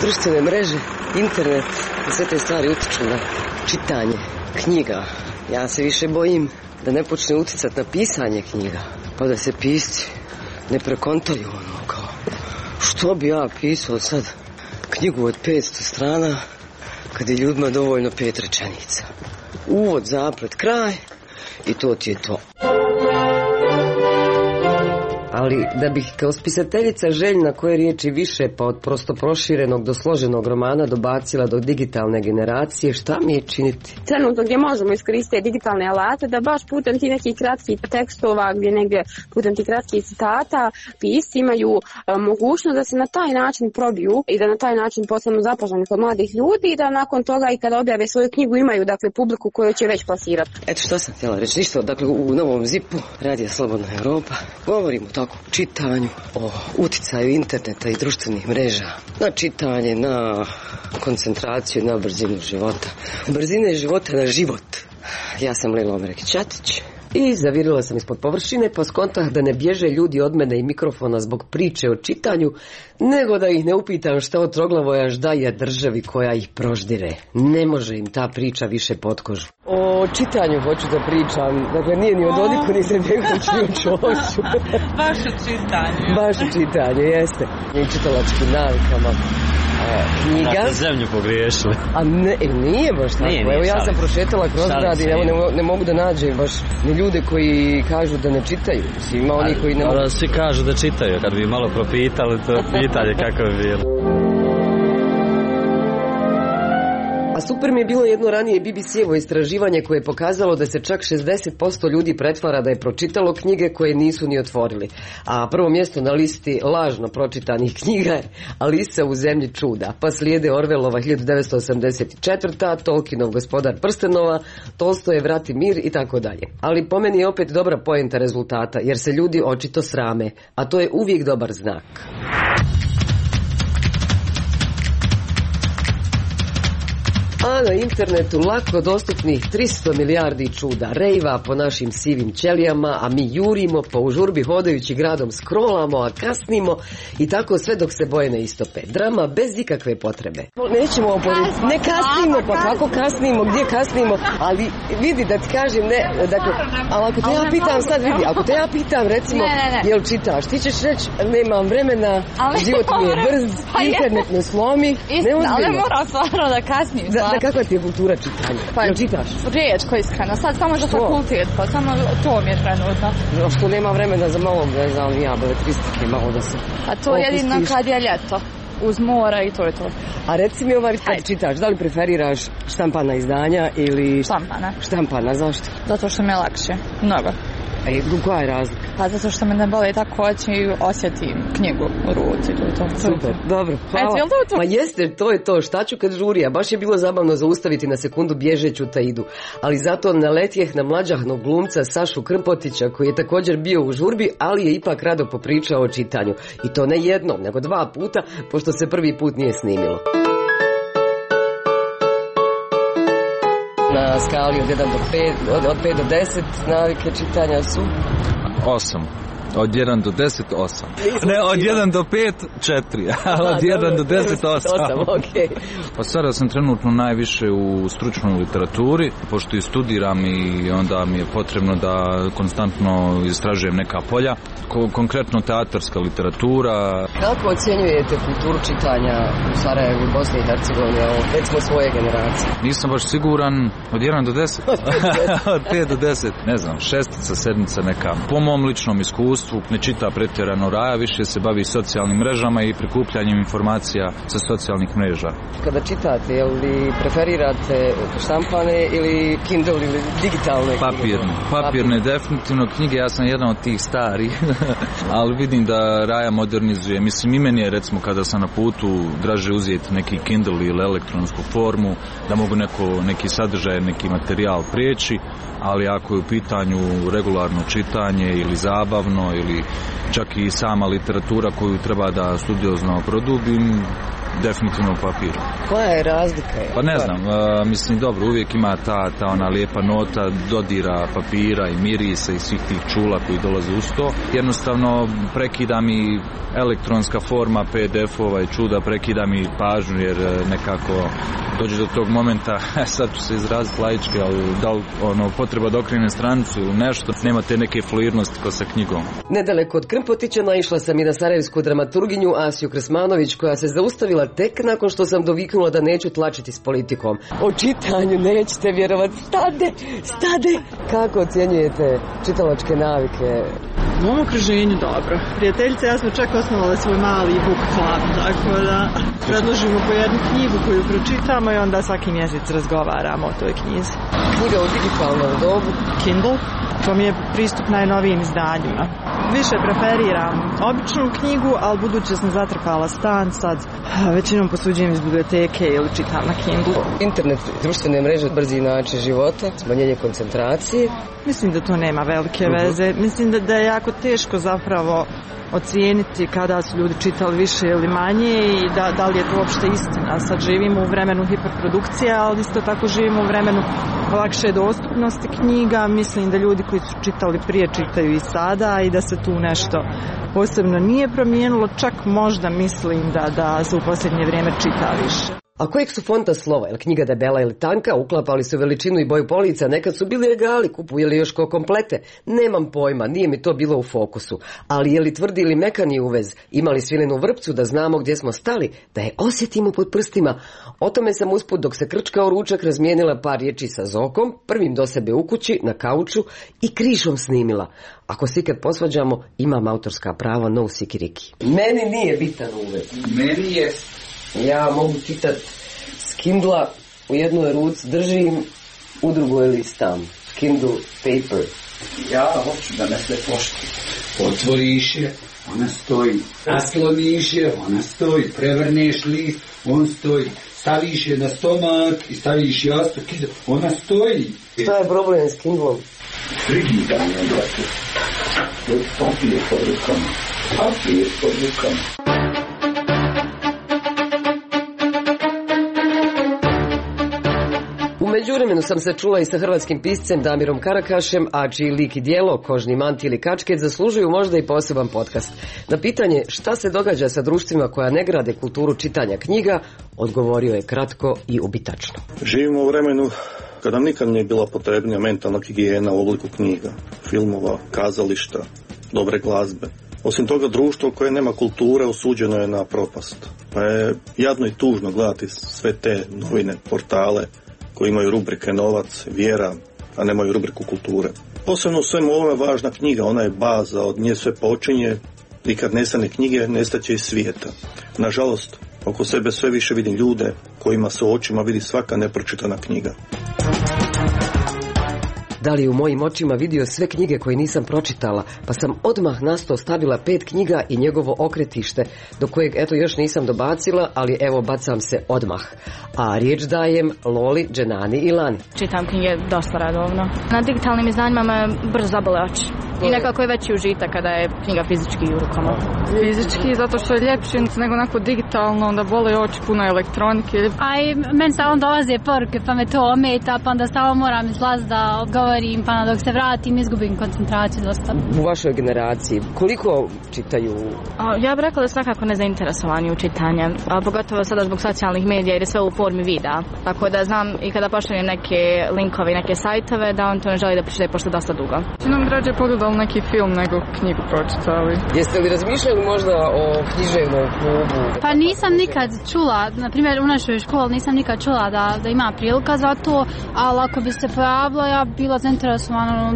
društvene mreže, internet i sve te stvari utiču na čitanje knjiga. Ja se više bojim da ne počne uticati na pisanje knjiga, pa da se pisci ne prekontaju ono kao što bi ja pisao sad knjigu od 500 strana kad je ljudima dovoljno 5 rečenica. Uvod, zaplet, kraj i to ti je to. Ali da bih kao spisateljica željna koje riječi više pa od prosto proširenog do složenog romana dobacila do digitalne generacije, šta mi je činiti? Trenutno gdje možemo iskoristiti digitalne alate da baš putem ti nekih kratkih tekstova, gdje negdje putem ti kratkih citata pisci imaju mogućnost da se na taj način probiju i da na taj način postanu zapaženi kod mladih ljudi i da nakon toga i kada objave svoju knjigu imaju dakle publiku koju će već plasirati. Eto što sam htjela reći, ništa, dakle u Novom ZIP-u Radija Slobodna Europa govorimo tako o čitanju, o uticaju interneta i društvenih mreža na čitanje, na koncentraciju, na brzinu života. Brzine života na život. Ja sam Lila Omerek-Ćatić. I zavirila sam ispod površine pa skontah da ne bježe ljudi od mene i mikrofona zbog priče o čitanju, nego da ih ne upitam šta od Troglavojaš daje državi koja ih proždire. Ne može im ta priča više pod kožu. O čitanju hoću da pričam. Dakle, nije ni o Dodiku, ni se Begović, ni o Čošu. Baš o čitanju. Baš o čitanju, jeste. I čitalačkim navikama. Knjiga. Da ste zemlju pogriješili. A ne, nije baš tako. Nije, evo ja sam prošetala kroz grad i ne mogu da nađem baš ni ljude koji kažu da ne čitaju. Ima oni koji ne mogu. Svi kažu da čitaju. Kad bi malo propitali, to pitanje kako bi bilo. A super mi je bilo jedno ranije BBC-evo istraživanje koje je pokazalo da se čak 60% ljudi pretvara da je pročitalo knjige koje nisu ni otvorili. A prvo mjesto na listi lažno pročitanih knjiga je Alisa u zemlji čuda. Pa slijede Orwellova 1984, Tolkienov Gospodar prstenova, Tolstojev Rat i mir i tako dalje. Ali po meni je opet dobra poenta rezultata jer se ljudi očito srame, a to je uvijek dobar znak. A na internetu lako dostupnih 300 milijardi čuda, rejva po našim sivim ćelijama, a mi jurimo pa u žurbi hodajući gradom scrollamo, a kasnimo i tako sve dok se boje ne istope. Drama bez ikakve potrebe. Nećemo oporiti, ne kasnimo, pa kako kasnimo, gdje kasnimo, ali vidi da ti kažem, ne, dakle, ali ako te ja pitam sad, vidi, ako te ja pitam recimo, jel čitaš, ti ćeš reći, nemam vremena, život mi je brz, internet ne slomi, neozbiljno. Ali mora stvarno da kasnim. Kakva ti je kultura čitanja? Pa jel čitaš? Rijetko iskreno, sad samo za fakultet, pa samo to mi je trenutno. Što nema vremena za malo, ne znam, ja, beletristike, malo da se... A to je jedino kad je ljeto, uz mora i to je to. A reci mi kad čitaš, da li preferiraš štampana izdanja ili... Štampana, zašto? Zato što mi je lakše, mnogo. Koja je razlika? Pa zato što me ne boli tako oči i osjetim knjigu u ruci. Super, dobro, hvala. Ma jeste, to je to, šta ću kad žurija? Baš je bilo zabavno zaustaviti na sekundu bježeću Taidu. Ali zato naletjeh na mlađahnog glumca Sašu Krmpotića koji je također bio u žurbi, ali je ipak rado popričao o čitanju. I to ne jednom, nego 2 puta, pošto se prvi put nije snimilo. Na skali od 1 do 5, od 5 do 10 navike čitanja su? 8. Od 1 do 10, 8. Ne, od 1 do 5, 4. Od 1 do 10, 8. Okay. Pa sada sam trenutno najviše u stručnoj literaturi, pošto i studiram i onda mi je potrebno da konstantno istražujem neka polja. Konkretno teatarska literatura. Kako ocjenjujete kulturu čitanja u Sarajevu i Bosni i Hercegovini, recimo svoje generacije? Nisam baš siguran, od 1 do 10? Od 5 do 10, ne znam, 6, 7 neka. Po mom ličnom iskustvu ne čita pretjerano Raja, više se bavi socijalnim mrežama i prikupljanjem informacija sa socijalnih mreža. Kada čitate, je li preferirate štampane ili Kindle ili digitalne? Papirne, definitivno knjige, ja sam jedan od tih starih, ali vidim da Raja modernizuje. Mislim, i meni je recimo kada sam na putu draže uzeti neki Kindle ili elektronsku formu, da mogu neki sadržaj, neki materijal prijeći, ali ako je u pitanju regularno čitanje ili zabavno recimo, ili čak i sama literatura koju treba da studiozno produbim, definitivno papir. Koja je razlika? Pa ne znam, mislim dobro, uvijek ima ta ona lijepa nota dodira papira i mirisa i svih tih čula koji dolaze uz to. Jednostavno prekida mi elektronska forma PDF-ova i čuda, prekida mi pažnju jer nekako dođe do tog momenta, sad ću se izraziti laički, ali da li potreba da okrenem stranicu ili nešto, nema te neke fluidnosti kao sa knjigom. Nedaleko od Krmpotića naišla sam i na sarajevsku dramaturginju Asiju Krsmanović, koja se zaustavila tek nakon što sam doviknula da neću tlačiti s politikom. O čitanju nećete vjerovati. Stade! Kako ocjenjujete čitalačke navike? U mom okruženju dobro. Prijateljice, ja smo čak osnovali svoj mali book club, tako da predložimo po jednu knjigu koju pročitamo i onda svaki mjesec razgovaramo o toj knjizi. Knjiga u digitalnom dobu? Kindle. To mi je pristup najnovijim izdanjima. Više preferiram običnu knjigu, ali budući sam zatrpala stan, sad većinom posuđujem iz biblioteke ili čitam na Kindle. Internet, društvene mreže, brzi način života, smanjenje koncentracije. Mislim da to nema velike veze. Mislim da je jako teško zapravo ocijeniti kada su ljudi čitali više ili manje i da li je to uopšte istina. Sad živimo u vremenu hiperprodukcije, ali isto tako živimo u vremenu lakše dostupnosti knjiga. Mislim da ljudi koji su čitali prije čitaju i sada i da se tu nešto posebno nije promijenilo. Čak možda mislim da se u posljednje vrijeme čita više. A kojeg su fonta slova, je knjiga debela ili tanka, uklapali su veličinu i boju polica, nekad su bili regali, kupujeli još ko komplete, nemam pojma, nije mi to bilo u fokusu, ali je li tvrdi ili mekani uvez, imali svilenu vrpcu da znamo gdje smo stali, da je osjetimo pod prstima. O tome sam usput dok se krčkao ručak razmijenila par riječi sa Zokom, prvim do sebe u kući, na kauču i križom snimila. Ako se ikad posvađamo, imam autorska prava, no sikiriki. Meni nije bitan uvez. Meni je. Ja mogu čitati s Kindla, u jednoj ruci držim, u drugoj listam. Kindle paper. Ja hoću da me sve poštuje. Otvoriš je, ona stoji. Nasloniš je, ona stoji. Prevrneš list, on stoji. Staviš je na stomak i staviš jastuk, ona stoji. Šta je problem s Kindlom? Frigidanje, brate. Papir pod rukama. Papir pod rukama. U međuvremenu sam se čula i sa hrvatskim piscem Damirom Karakašem, a čiji lik i djelo, Kožni manti ili kačket, zaslužuju možda i poseban podcast. Na pitanje šta se događa sa društvima koja ne grade kulturu čitanja knjiga, odgovorio je kratko i ubitačno. Živimo u vremenu kada nam nikad nije bila potrebnija mentalna higijena u obliku knjiga, filmova, kazališta, dobre glazbe. Osim toga, društvo koje nema kulture osuđeno je na propast. Pa je jadno i tužno gledati sve te novine, portale koji imaju rubrike novac, vjera, a nemaju rubriku kulture. Posebno u svemu ovome važna knjiga, ona je baza, od nje sve počinje i kad nestane knjige, nestaće i svijeta. Nažalost, oko sebe sve više vidim ljude kojima se u očima vidi svaka nepročitana knjiga. Da li u mojim očima vidio sve knjige koje nisam pročitala, pa sam odmah na sto stavila 5 knjiga i njegovo okretište, do kojeg eto još nisam dobacila, ali evo bacam se odmah. A riječ dajem Loli, Dženani i Lani. Čitam knjige dosta redovno. Na digitalnim izdanjima me brzo zabole oči. I nekako je veći užitak kada je knjiga fizički u rukama. Fizički, zato što je ljepši nego onako digitalno, onda bole oči, puno elektronike. A i meni stalno dolaze poruke, pa me to ometa, pa onda stalno moram izlaziti da odgovorim, pa dok se vratim izgubim koncentraciju dosta. U vašoj generaciji koliko čitaju? Ja bih rekla da su nekako nezainteresovani u čitanje, a pogotovo sada zbog socijalnih medija jer je sve u formi videa. Tako da znam i kada pošaljem neke linkove i neke sajtove da on to ne želi da pročita pošto dosta dugo. Nam rađe pogledali neki film nego knjigu pročitali. Jeste li razmišljali možda o književnom klubu? Pa nisam nikad čula, na primjer u našoj školi nisam nikad čula da ima prilika za to, ali ako bi se pojavila ja bila zainteresovana.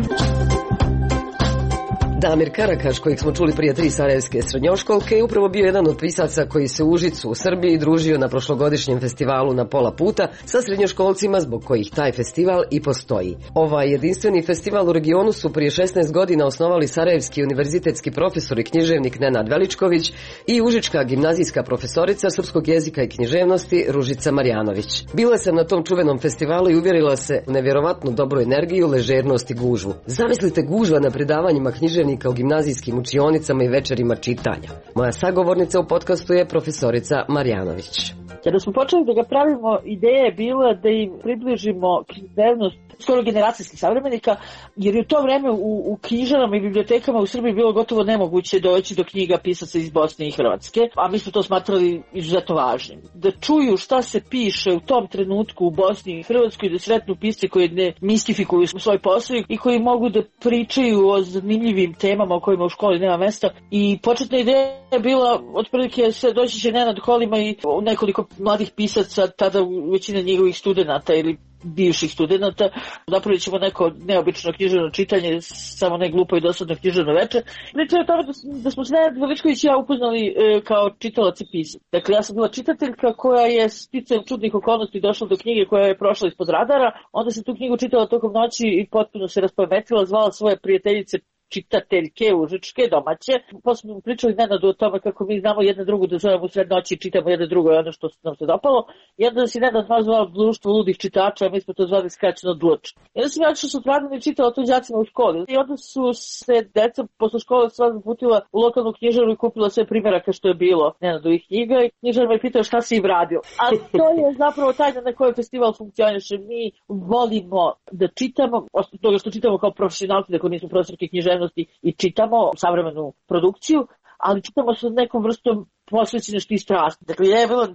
Damir Karakaš, kojeg smo čuli prije 3 sarajevske srednjoškolke, je upravo bio jedan od pisaca koji se u Užicu u Srbiji družio na prošlogodišnjem festivalu Na pola puta sa srednjoškolcima zbog kojih taj festival i postoji. Ovaj jedinstveni festival u regionu su prije 16 godina osnovali sarajevski univerzitetski profesor i književnik Nenad Veličković i užička gimnazijska profesorica srpskog jezika i književnosti Ružica Marjanović. Bila sam na tom čuvenom festivalu i uvjerila se u nevjerovatnu dobru energiju, ležernost i gužvu. Zamislite gužva na predavanjima književnih udžbenika u gimnazijskim učionicama i večerima čitanja. Moja sagovornica u podcastu je profesorica Marjanović. Kada smo počeli da ga pravimo, ideja je bila da im približimo književnost skoro generacijskih savremenika, jer je u to vreme u knjižarama i bibliotekama u Srbiji bilo gotovo nemoguće doći do knjiga pisaca iz Bosne i Hrvatske, a mi smo to smatrali izuzetno važnim. Da čuju šta se piše u tom trenutku u Bosni i Hrvatskoj, da sretnu pisce koji ne mistifikuju svoj posao i koji mogu da pričaju o zanimljivim temama o kojima u školi nema mesta. I početna ideja je bila, otprilike doći će Nenad Kolima i nekoliko mladih pisaca, tada većina njegovih studenata ili bivših studenata, napravit ćemo neko neobično književno čitanje, samo ne glupo i dosadno književno veče. Priča je o tome da smo se Nenad Veličković i ja upoznali kao čitalac i pisac. Dakle, ja sam bila čitateljka koja je sticajem čudnih okolnosti došla do knjige koja je prošla ispod radara, onda sam tu knjigu čitala tokom noći i potpuno se raspametila, zvala svoje prijateljice čitateljke užičke, domaće. Posle smo pričali Nenadu o tome kako mi znamo jedna drugu da zovemo u sred noći i čitamo jedno drugo ono što nam se dopalo. I onda si Nenad zvao društvo ludih čitača, a mi smo to zvali skraćeno DLUČ. I onda sam ja što su radili i čitala to đacima u školi. I onda su se deca posle škole sva zaputila u lokalnu knjižaru i kupila sve primjeraka što je bilo Nenadovih knjiga i knjižar me pitao šta si im radio. A to je zapravo tajna na kojoj festival funkcioniše. Mi volimo da čitamo, osim toga što čitamo kao profesionalci, dakle nismo profesorki književnosti i čitamo savremenu produkciju, ali čitamo sa nekom vrstom posvećenosti i strasti. Dakle, je bilo,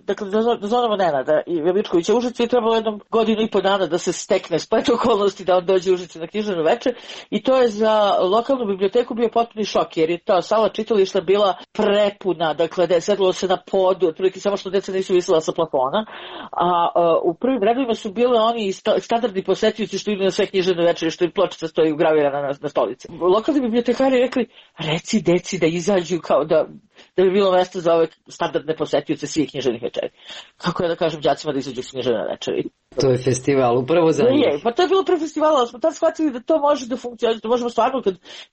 da zovemo Nenada i Veličkovića u Užicu i trebalo jednom godinu i po dana da se stekne splet okolnosti da on dođe u Užicu na književno veče i to je za lokalnu biblioteku bio potpuni šok, jer je ta sala čitališta bila prepuna, dakle, da je sedlo se na podu, otprilike samo što deca nisu visela sa plafona, a u prvim redovima su bile oni standardni posetioci što idu na sve književne večere, što im pločica stoji ugravirana na stolici. Lokalni bibliotekari rekli, reci deci da izađu kao da bi bilo mesto za ove standardne posetioce svih književnih večeri. Kako ja da kažem đacima da izađu s književne večeri? To je festival, upravo za njih. Pa to je bilo pre festivala, ali smo tad shvatili da to može da funkcionira, da možemo stvarno,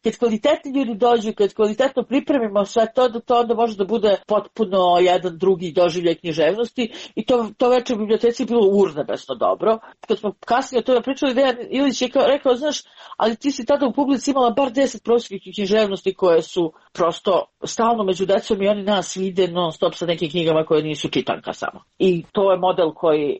kad kvalitetni ljudi dođu, kad kvalitetno pripremimo sve to, da to onda može da bude potpuno jedan drugi doživljaj književnosti i to večer u biblioteci je bilo urnebesno dobro. Kad smo kasnije o tome pričali, Dejan Ilić je rekao, znaš, ali ti si tada u publici imala bar 10 profesorskih književnosti koje su prosto stalno među decom i oni nas vide non stop sa nekim knjigama koje nisu čitanka samo. I to je model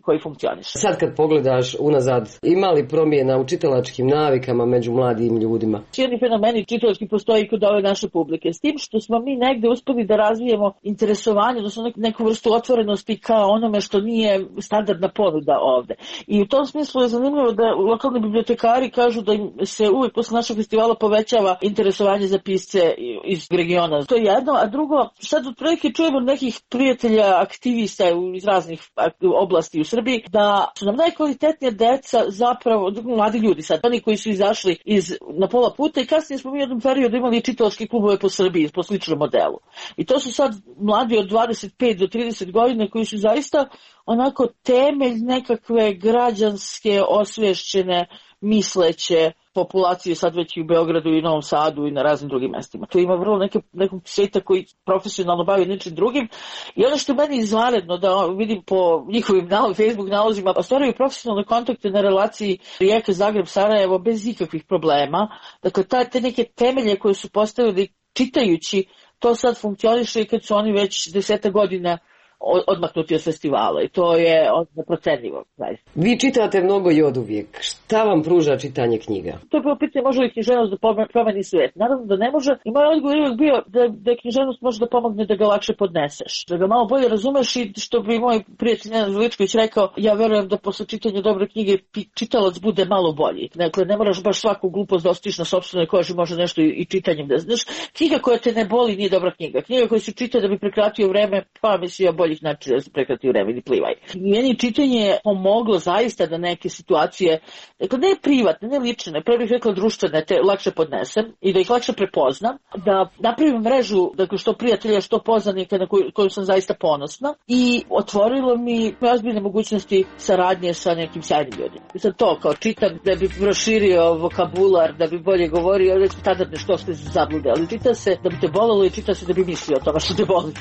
koji funkcioniše. Sad kad pogledaš unazad, ima li promjena u čitalačkim navikama među mladim ljudima? Jedni fenomeni čitalački postoji kod ove naše publike. S tim što smo mi negde uspeli da razvijemo interesovanje, odnosno neku vrstu otvorenosti kao onome što nije standardna ponuda ovde. I u tom smislu je zanimljivo da lokalni bibliotekari kažu da im se uvijek posle našeg festivala povećava interesovanje za pisce iz regiona. To je jedno, a drugo, sad otprilike čujemo nekih prijatelja, aktivista iz raznih oblasti u Srbiji, da su nam najkvalitetnija deca zapravo, mladi ljudi sad, oni koji su izašli na pola puta i kasnije smo mi u jednom periodu imali čitalačke klubove po Srbiji, po sličnom modelu. I to su sad mladi od 25 do 30 godina koji su zaista onako temelj nekakve građanske, osvješćene, misleće populacije sad već i u Beogradu i Novom Sadu i na raznim drugim mestima. Tu ima vrlo nekog sveta koji profesionalno bavi ničim drugim i ono što meni izvanredno da vidim po njihovim Facebook nalozima, ostvaruju profesionalne kontakte na relaciji Rijeka, Zagreb, Sarajevo bez ikakvih problema. Dakle, te neke temelje koje su postavili čitajući, to sad funkcioniše i kad su oni već 10 godina odmaknuti od festivala i to je neprocenljivo. Vi čitate mnogo i oduvijek. Šta vam pruža čitanje knjiga? To je bilo pitanje može li književnost da promeni svijet. Naravno da ne može i moj odgovor je uvijek bio da književnost može da pomogne da ga lakše podneseš. Da ga malo bolje razumeš i što bi moj prijatelj Nenad Veličković rekao, ja verujem da posle čitanja dobre knjige čitalac bude malo bolji. Dakle, ne moraš baš svaku glupost da ostiš na sopstvenoj koži, može nešto i čitanjem da znaš. Knjiga koja te ne boli nije dobra knjiga. Knjiga koja se čita da bi prekratio vreme, pa mislim bolji način da se prekrati vreme ili plivaj. Meni čitanje je pomoglo zaista da neke situacije, dakle ne privatne, ne lične, pre bih rekla društvene, te lakše podnesem i da ih lakše prepoznam, da napravim mrežu, dakle što prijatelja, što poznanika na koju sam zaista ponosna i otvorilo mi ozbiljne mogućnosti saradnje sa nekim sjajnim ljudima. I sad to kao čitam da bi proširio vokabular, da bi bolje govorio, već standardne što ste zablude, ali čita se da bi te bolelo i čita se da bi mislio o tome što te boli.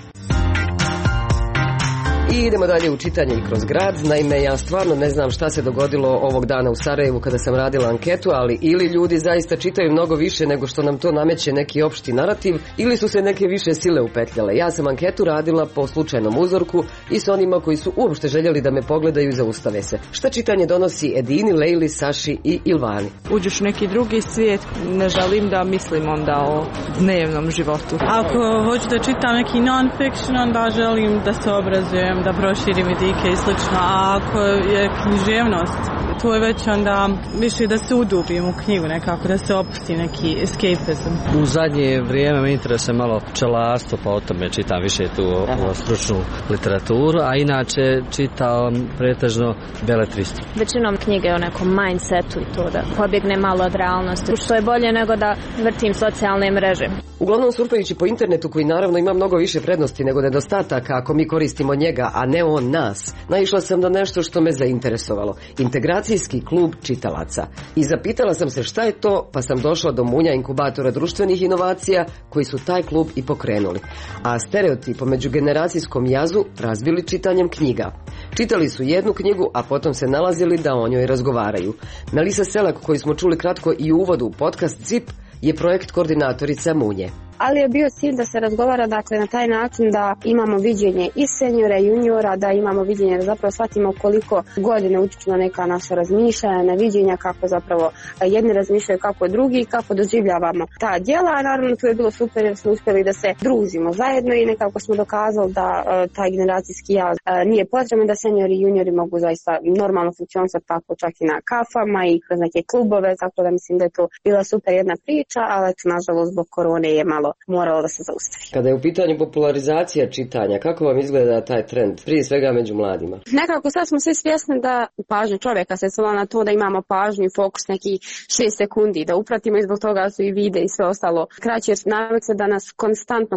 I idemo dalje u čitanje i kroz grad. Naime, ja stvarno ne znam šta se dogodilo ovog dana u Sarajevu kada sam radila anketu, ali ili ljudi zaista čitaju mnogo više nego što nam to nameće neki opšti narativ, ili su se neke više sile upetljale. Ja sam anketu radila po slučajnom uzorku i s onima koji su uopšte željeli da me pogledaju i zaustave se. Šta čitanje donosi Edini, Lejli, Saši i Ilvani? Uđeš u neki drugi svijet, ne želim da mislim onda o dnevnom životu. Ako hoću da čitam neki non-fiction, onda želim da se obrazujem, da proširim vidike i slično. A ako je književnost, to je već onda više da se udubim u knjigu nekako, da se opusti neki escapism. U zadnje vrijeme me interesuje malo pčelarstvo, pa o tome čitam više tu o stručnu literaturu, a inače čitam pretežno beletristiku. Većinom knjige o nekom mindsetu i to da pobjegne malo od realnosti, što je bolje nego da vrtim socijalne mreže. Uglavnom surfajući po internetu, koji naravno ima mnogo više prednosti nego nedostataka ako mi koristimo njega, a ne on nas, naišla sam na nešto što me zainteresovalo. Integracijski klub čitalaca. I zapitala sam se šta je to, pa sam došla do munja inkubatora društvenih inovacija koji su taj klub i pokrenuli. A stereotip o međugeneracijskom jazu razbili čitanjem knjiga. Čitali su jednu knjigu, a potom se nalazili da o njoj razgovaraju. Melisa Selak, koju smo čuli kratko i u uvodu u podcast ZIP, je projekt koordinatorica Munje. Ali je bio cilj da se razgovara, dakle, na taj način da imamo viđenje i seniora i juniora, da imamo viđenje da zapravo shvatimo koliko godine utiču na neka naša razmišljanja, na viđenja, kako zapravo jedni razmišljaju kako drugi i kako doživljavamo ta djela. A naravno tu je bilo super jer smo uspjeli da se družimo zajedno i nekako smo dokazali da taj generacijski jaz nije potrebno, da seniori i juniori mogu zaista normalno funkcionisati tako čak i na kafama i kroz neke klubove, tako da mislim da je to bila super jedna priča, ali eto, nažalost zbog korone je malo moralo da se zaustavi. Kada je u pitanju popularizacija čitanja, kako vam izgleda taj trend, prije svega među mladima? Nekako sad smo svi svjesni da pažnja čovjeka se svela na to da imamo pažnju i fokus neki 6 sekundi, da upratimo, i zbog toga su i vide i sve ostalo kraće, jer navikli da nas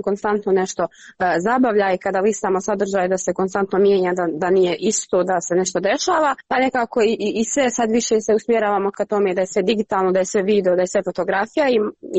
konstantno nešto zabavlja, i kada listamo sadržaj da se konstantno mijenja, da nije isto, da se nešto dešava, pa nekako i sve sad više se usmjeravamo ka tome da je sve digitalno, da je sve video, da je sve fotografija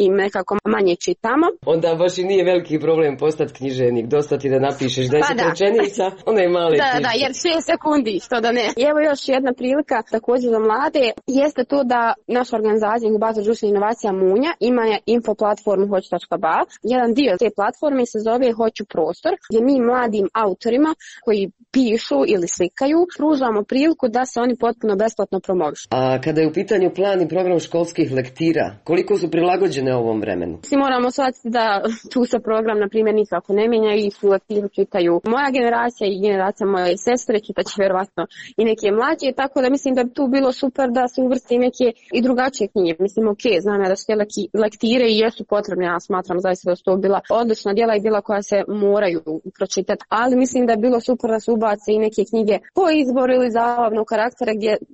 i nekako manje čitamo. Onda baš i nije veliki problem postati književnik, dosta ti da napišeš 10 rečenica, onda je male knjižke. Da, jer 6 sekundi, što da ne. I evo još jedna prilika također za mlade, jeste to da naša organizacija Inkubator društvenih inovacija Munja ima info platformu hoću.ba. Jedan dio te platforme se zove Hoću prostor, gdje mi mladim autorima koji pišu ili slikaju pružamo priliku da se oni potpuno besplatno promovišu. A kada je u pitanju plan i program školskih lektira, koliko su prilagođene ovom vremenu? Svi moramo shvatiti da tu se program, na primjer, nikako ne mijenja i su lektiru čitaju moja generacija i generacija moje sestre, čitaće vjerovatno i neke mlađe, tako da mislim da bi tu bilo super da se uvrsti neke i drugačije knjige. Mislim, ok, znam ja da su te lektire i jesu potrebne, ja smatram zaista da su to bila odlična djela i djela koja se moraju pročitati, ali mislim da je bilo super da se ubace i neke knjige po izboru ili zabavnog karaktera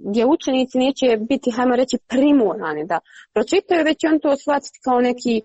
gdje učenici neće biti, hajmo reći, primorani da pročitaju, već on to shvatiti kao neki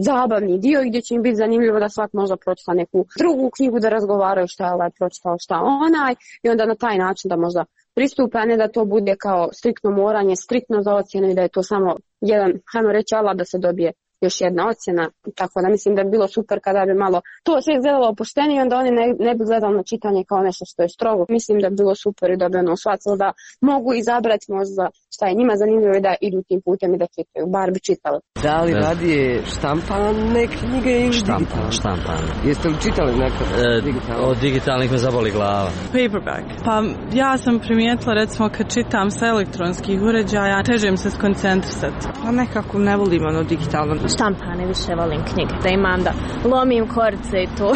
zabavni dio gdje će im biti zanimljivo da svak možda pročita neku drugu knjigu, da razgovaraju šta je ovaj pročitao, šta onaj, i onda na taj način da možda pristupe, a ne da to bude kao striktno moranje, striktno za ocjenu i da je to samo jedan, hajmo reći, alat da se dobije još jedna ocjena, tako da mislim da bi bilo super kada bi malo to sve izgledalo opuštenije, onda oni ne bi gledali na čitanje kao nešto što je strogo. Mislim da bi bilo super i da bi ono shvatilo da mogu izabrati možda šta je njima zanimljivo i da idu tim putem i da čitaju, bar bi čitali. Da li radije štampane knjige ili digitalne? Štampane. Jeste li čitali nekad digitalne? Od digitalnih me zaboli glava. Paperback. Pa ja sam primijetila, recimo, kad čitam sa elektronskih uređaja, teže mi se skoncentrisati. Pa nekako ne volim ono digitalno. Štampane više volim knjige, da imam da lomim korice i to.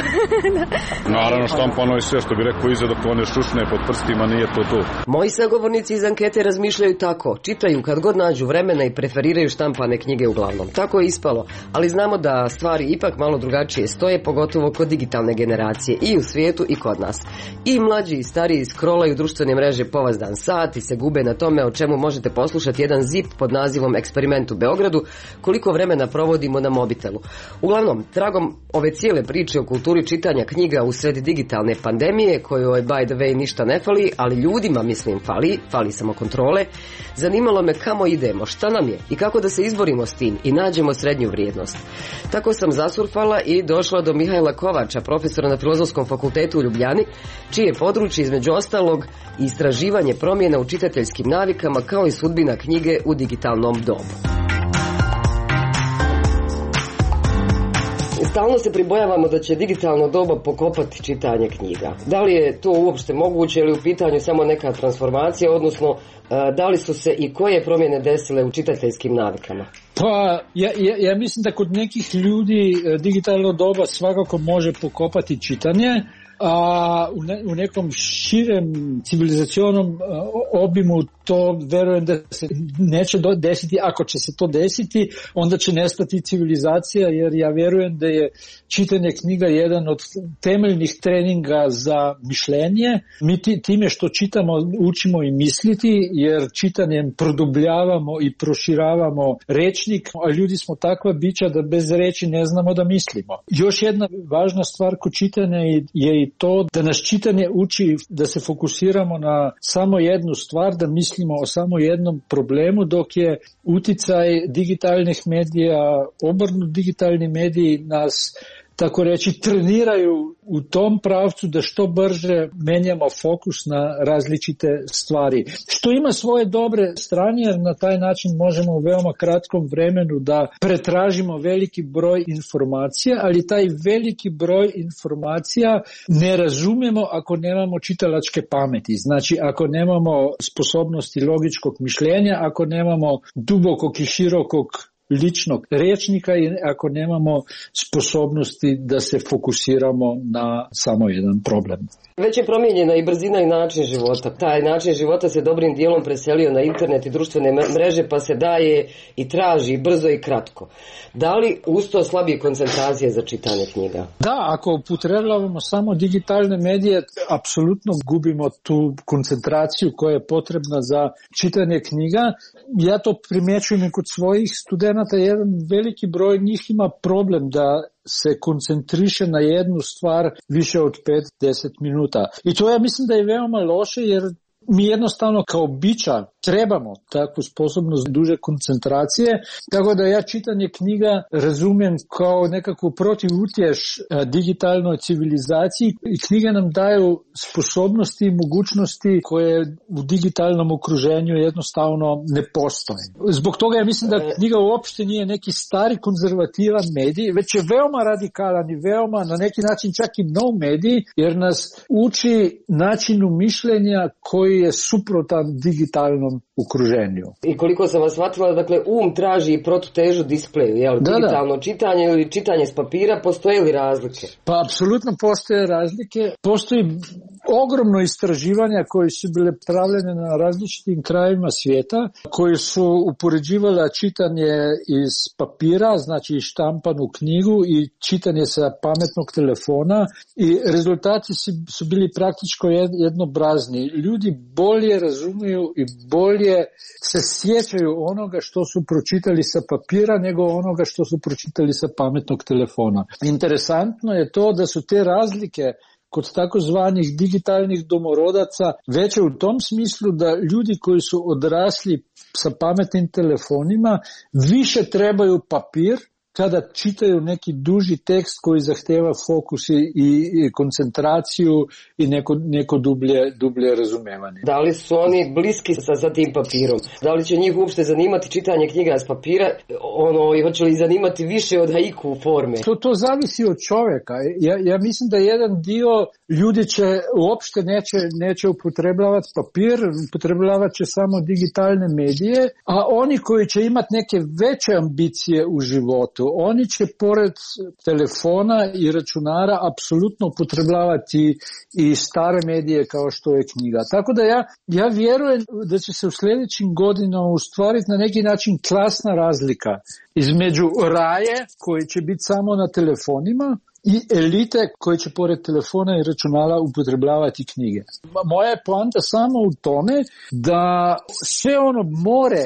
Naravno, štampano je sve, što bi rekao, iza dok one šušne pod prstima, nije to. Moji sagovornici iz ankete razmišljaju tako, čitaju kad god nađu vremena i preferiraju štampane knjige uglavnom. Tako je ispalo, ali znamo da stvari ipak malo drugačije stoje, pogotovo kod digitalne generacije i u svijetu i kod nas. I mlađi i stariji scrollaju društvene mreže povazdan sat i se gube na tome, o čemu možete poslušati jedan ZIP pod nazivom Eksperiment u Beogradu, koliko vremena provode provodimo na mobitelu. Uglavnom, tragom ove cijele priče o kulturi čitanja knjiga u sred digitalne pandemije, kojoj by the way ništa ne fali, ali ljudima mislim fali samo kontrole, zanimalo me kamo idemo, šta nam je i kako da se izborimo s tim i nađemo srednju vrijednost. Tako sam zasurfala i došla do Mihajla Kovača, profesora na Filozofskom fakultetu u Ljubljani, čije područje između ostalog istraživanje promjena u čitateljskim navikama kao i sudbina knjige u digitalnom dobu. Stalno se pribojavamo da će digitalno doba pokopati čitanje knjiga. Da li je to uopšte moguće ili u pitanju samo neka transformacija, odnosno da li su se i koje promjene desile u čitateljskim navikama? Pa, ja mislim da kod nekih ljudi digitalno doba svakako može pokopati čitanje, a u nekom širem civilizacionom obimu to verujem da se neće desiti. Ako će se to desiti, onda će nestati civilizacija, jer ja verujem da je čitanje knjiga jedan od temeljnih treninga za mišljenje. Mi time što čitamo učimo i misliti, jer čitanjem produbljavamo i proširavamo rečnik, a ljudi smo takva bića da bez reči ne znamo da mislimo. Još jedna važna stvar kod čitanja je i to da nas čitanje uči da se fokusiramo na samo jednu stvar, da mislimo o samo jednom problemu, dok je uticaj digitalnih medija, obrnut digitalni mediji nas tako reći treniraju u tom pravcu da što brže menjamo fokus na različite stvari. Što ima svoje dobre strane, jer na taj način možemo u veoma kratkom vremenu da pretražimo veliki broj informacija, ali taj veliki broj informacija ne razumijemo ako nemamo čitalačke pameti. Znači, ako nemamo sposobnosti logičkog mišljenja, ako nemamo dubokog i širokog ličnog rečnika i ako nemamo sposobnosti da se fokusiramo na samo jedan problem. Već je promijenjena i brzina i način života. Taj način života se dobrim dijelom preselio na internet i društvene mreže, pa se daje i traži brzo i kratko. Da li uz to slabije koncentracije za čitanje knjiga? Da, ako upotrebljavamo samo digitalne medije, apsolutno gubimo tu koncentraciju koja je potrebna za čitanje knjiga. Ja to primjećujem i kod svojih studenata. Jedan veliki broj njih ima problem da se koncentriše na jednu stvar više od 5-10 minuta. I to ja mislim da je veoma loše, jer mi jednostavno kao bića trebamo takvu sposobnost duže koncentracije, tako da ja čitanje knjiga razumijem kao nekakvu protivutješ digitalnoj civilizaciji i knjige nam daju sposobnosti i mogućnosti koje u digitalnom okruženju jednostavno ne postoje. Zbog toga ja mislim da knjiga uopšte nije neki stari konzervativan medij, već je veoma radikalan i veoma na neki način čak i nov medij, jer nas uči načinu mišljenja koji je suprotan digitalnom okruženju. I koliko sam vas shvatila, dakle, traži i protutežu displeju, jel? Digitalno čitanje ili čitanje s papira, postoje li razlike? Pa apsolutno postoje razlike. Postoji ogromno istraživanja koje su bile pravljene na različitim krajevima svijeta, koji su upoređivala čitanje iz papira, znači štampanu knjigu, i čitanje sa pametnog telefona, i rezultati su bili praktički jednobrazni. Ljudi bolje razumiju i bolje se sjećaju onoga što su pročitali sa papira nego onoga što su pročitali sa pametnog telefona. Interesantno je to da su te razlike kod takozvanih digitalnih domorodaca veće u tom smislu da ljudi koji su odrasli sa pametnim telefonima više trebaju papir kada čitaju neki duži tekst koji zahteva fokus i koncentraciju i neko dublje razumevanje. Da li su oni bliski sa tim papirom? Da li će njih uopšte zanimati čitanje knjiga s papira? I hoće li zanimati više od haiku forme? To zavisi od čovjeka. Ja mislim da jedan dio ljudi će uopšte neće upotrebljavati papir, upotrebljavat će samo digitalne medije, a oni koji će imati neke veće ambicije u životu, oni će pored telefona i računara apsolutno upotrebljavati i stare medije kao što je knjiga. Tako da ja vjerujem da će se u sljedećim godinama ustvariti na neki način klasna razlika između raje koji će biti samo na telefonima i elite koje će pored telefona i računala upotrebljavati knjige. Moja je poanta samo u tome da sve ono more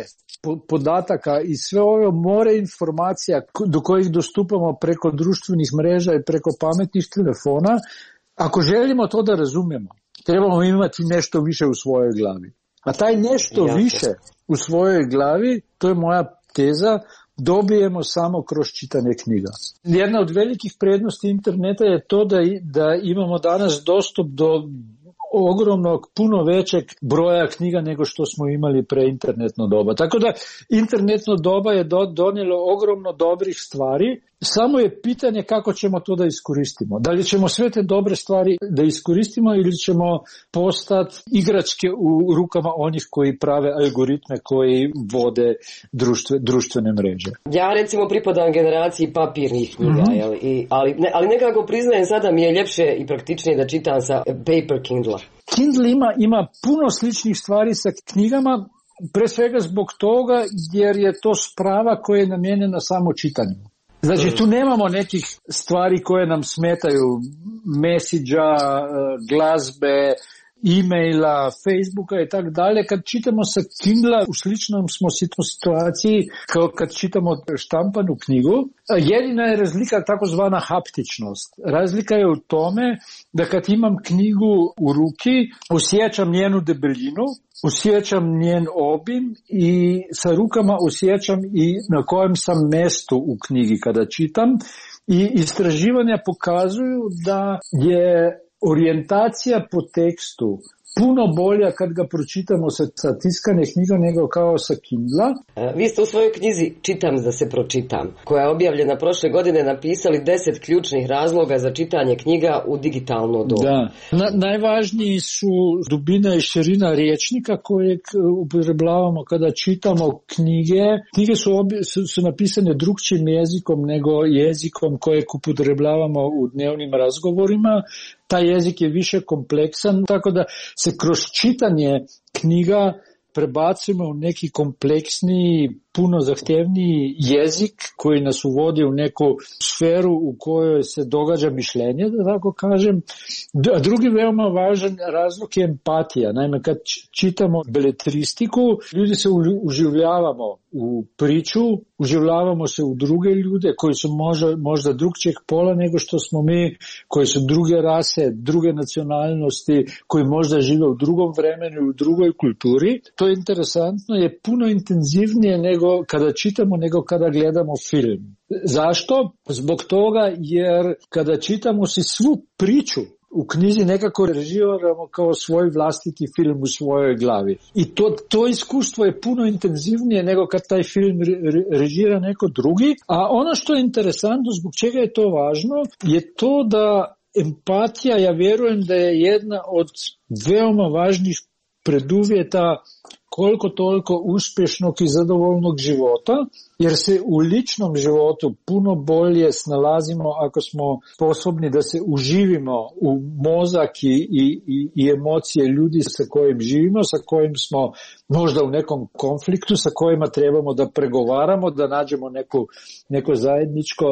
podataka i sve ove more informacija do kojih dostupamo preko društvenih mreža i preko pametnih telefona, ako želimo to da razumemo, trebamo imati nešto više u svojoj glavi. A taj nešto više u svojoj glavi, to je moja teza, dobijemo samo kroz čitanje knjiga. Jedna od velikih prednosti interneta je to da imamo danas dostup do ogromnog, puno većeg broja knjiga nego što smo imali pre internetno doba. Tako da internetno doba je donijelo ogromno dobrih stvari, samo je pitanje kako ćemo to da iskoristimo. Da li ćemo sve te dobre stvari da iskoristimo ili ćemo postati igračke u rukama onih koji prave algoritme koji vode društvene mreže. Ja recimo pripadam generaciji papirnih knjiga, ali nekako priznajem sada mi je ljepše i praktičnije da čitam sa paper Kindle. Kindle ima puno sličnih stvari sa knjigama, pre svega zbog toga jer je to sprava koja je namijenjena samo čitanju. Znači tu nemamo nekih stvari koje nam smetaju, message-a, glazbe, e-maila, Facebooka i tako dalje. Kad čitamo sa Kindla u sličnom smo situaciji kao kad čitamo štampanu knjigu. Jedina je razlika takozvana haptičnost. Razlika je u tome da kad imam knjigu u ruki, osjećam njenu debelinu, osjećam njen obim i sa rukama osjećam i na kojem sam mestu u knjigi kada čitam. I istraživanja pokazuju da je orijentacija po tekstu puno bolja kad ga pročitamo sa tiskane knjiga nego kao sa Kindla. Vi ste u svojoj knjizi Čitam da se pročitam, koja je objavljena prošle godine, napisali 10 ključnih razloga za čitanje knjiga u digitalno doba. Da. Najvažniji su dubina i širina rječnika kojeg upotrebljavamo kada čitamo knjige. Knjige su napisane drugčijim jezikom nego jezikom kojeg upotrebljavamo u dnevnim razgovorima. Taj jezik je više kompleksan, tako da se kroz čitanje knjiga prebacujemo u neki kompleksniji, puno zahtevniji jezik koji nas uvodi u neku sferu u kojoj se događa mišljenje, da tako kažem. A drugi veoma važan razlog je empatija. Naime, kad čitamo beletristiku, ljudi se uživljavamo u priču, uživljavamo se u druge ljude koji su možda drugčijeg pola nego što smo mi, koji su druge rase, druge nacionalnosti, koji možda žive u drugom vremenu, u drugoj kulturi. To je interesantno, je puno intenzivnije nego kada čitamo, nego kada gledamo film. Zašto? Zbog toga jer kada čitamo si svu priču u knjizi nekako režiramo kao svoj vlastiti film u svojoj glavi. I to iskustvo je puno intenzivnije nego kad taj film režira neko drugi. A ono što je interesantno, zbog čega je to važno, je to da empatija, ja vjerujem da je jedna od veoma važnih preduvjeta koliko toliko uspješnog i zadovoljnog života, jer se u ličnom životu puno bolje snalazimo ako smo sposobni da se uživimo u mozak i emocije ljudi sa kojim živimo, sa kojim smo možda u nekom konfliktu, sa kojima trebamo da pregovaramo, da nađemo neko zajedničko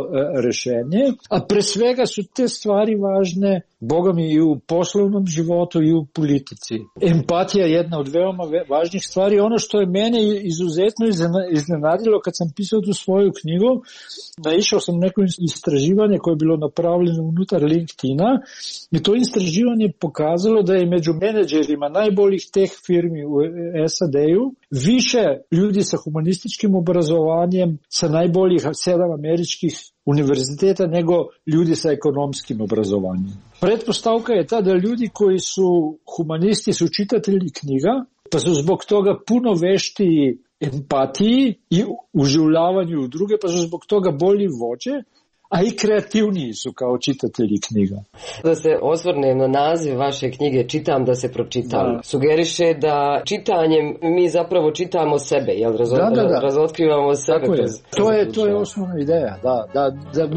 rješenje. A pre svega su te stvari važne, Boga mi, i u poslovnom životu i u politici. Empatija je jedna od veoma važnih stvari. Ono što je mene izuzetno iznenadilo kad sam pisao tu svoju knjigu, naišao sam neko istraživanje koje je bilo napravljeno unutar LinkedIna i to istraživanje pokazalo da je među menadžerima najboljih teh firmi u SAD-u više ljudi sa humanističkim obrazovanjem sa najboljih 7 američkih univerziteta nego ljudi sa ekonomskim obrazovanjem. Pretpostavka je ta da ljudi koji su humanisti su čitatelji knjiga, pa su zbog toga puno veštiji empatiji i uživljavanju u druge, pa su zbog toga bolji vođe, a i kreativniji su kao čitatelji knjiga. Da se osvrnem na naziv vaše knjige Čitam da se pročitam. Da. Sugeriše da čitanjem mi zapravo čitamo sebe, jel? Razotkrivamo sebe. To je osnovna ideja, da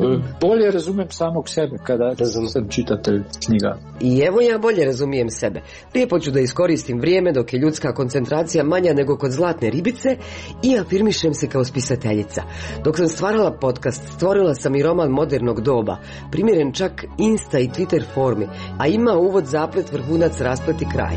bolje razumem samog sebe kada sam čitatelj knjiga. I evo ja bolje razumijem sebe. Lijepo ću da iskoristim vrijeme dok je ljudska koncentracija manja nego kod zlatne ribice i afirmišem se kao spisateljica. Dok sam stvarala podcast, stvorila sam i roman modernog doba, primjeren čak Insta i Twitter formi, a ima uvod, zaplet, vrhunac, rasplet i kraj.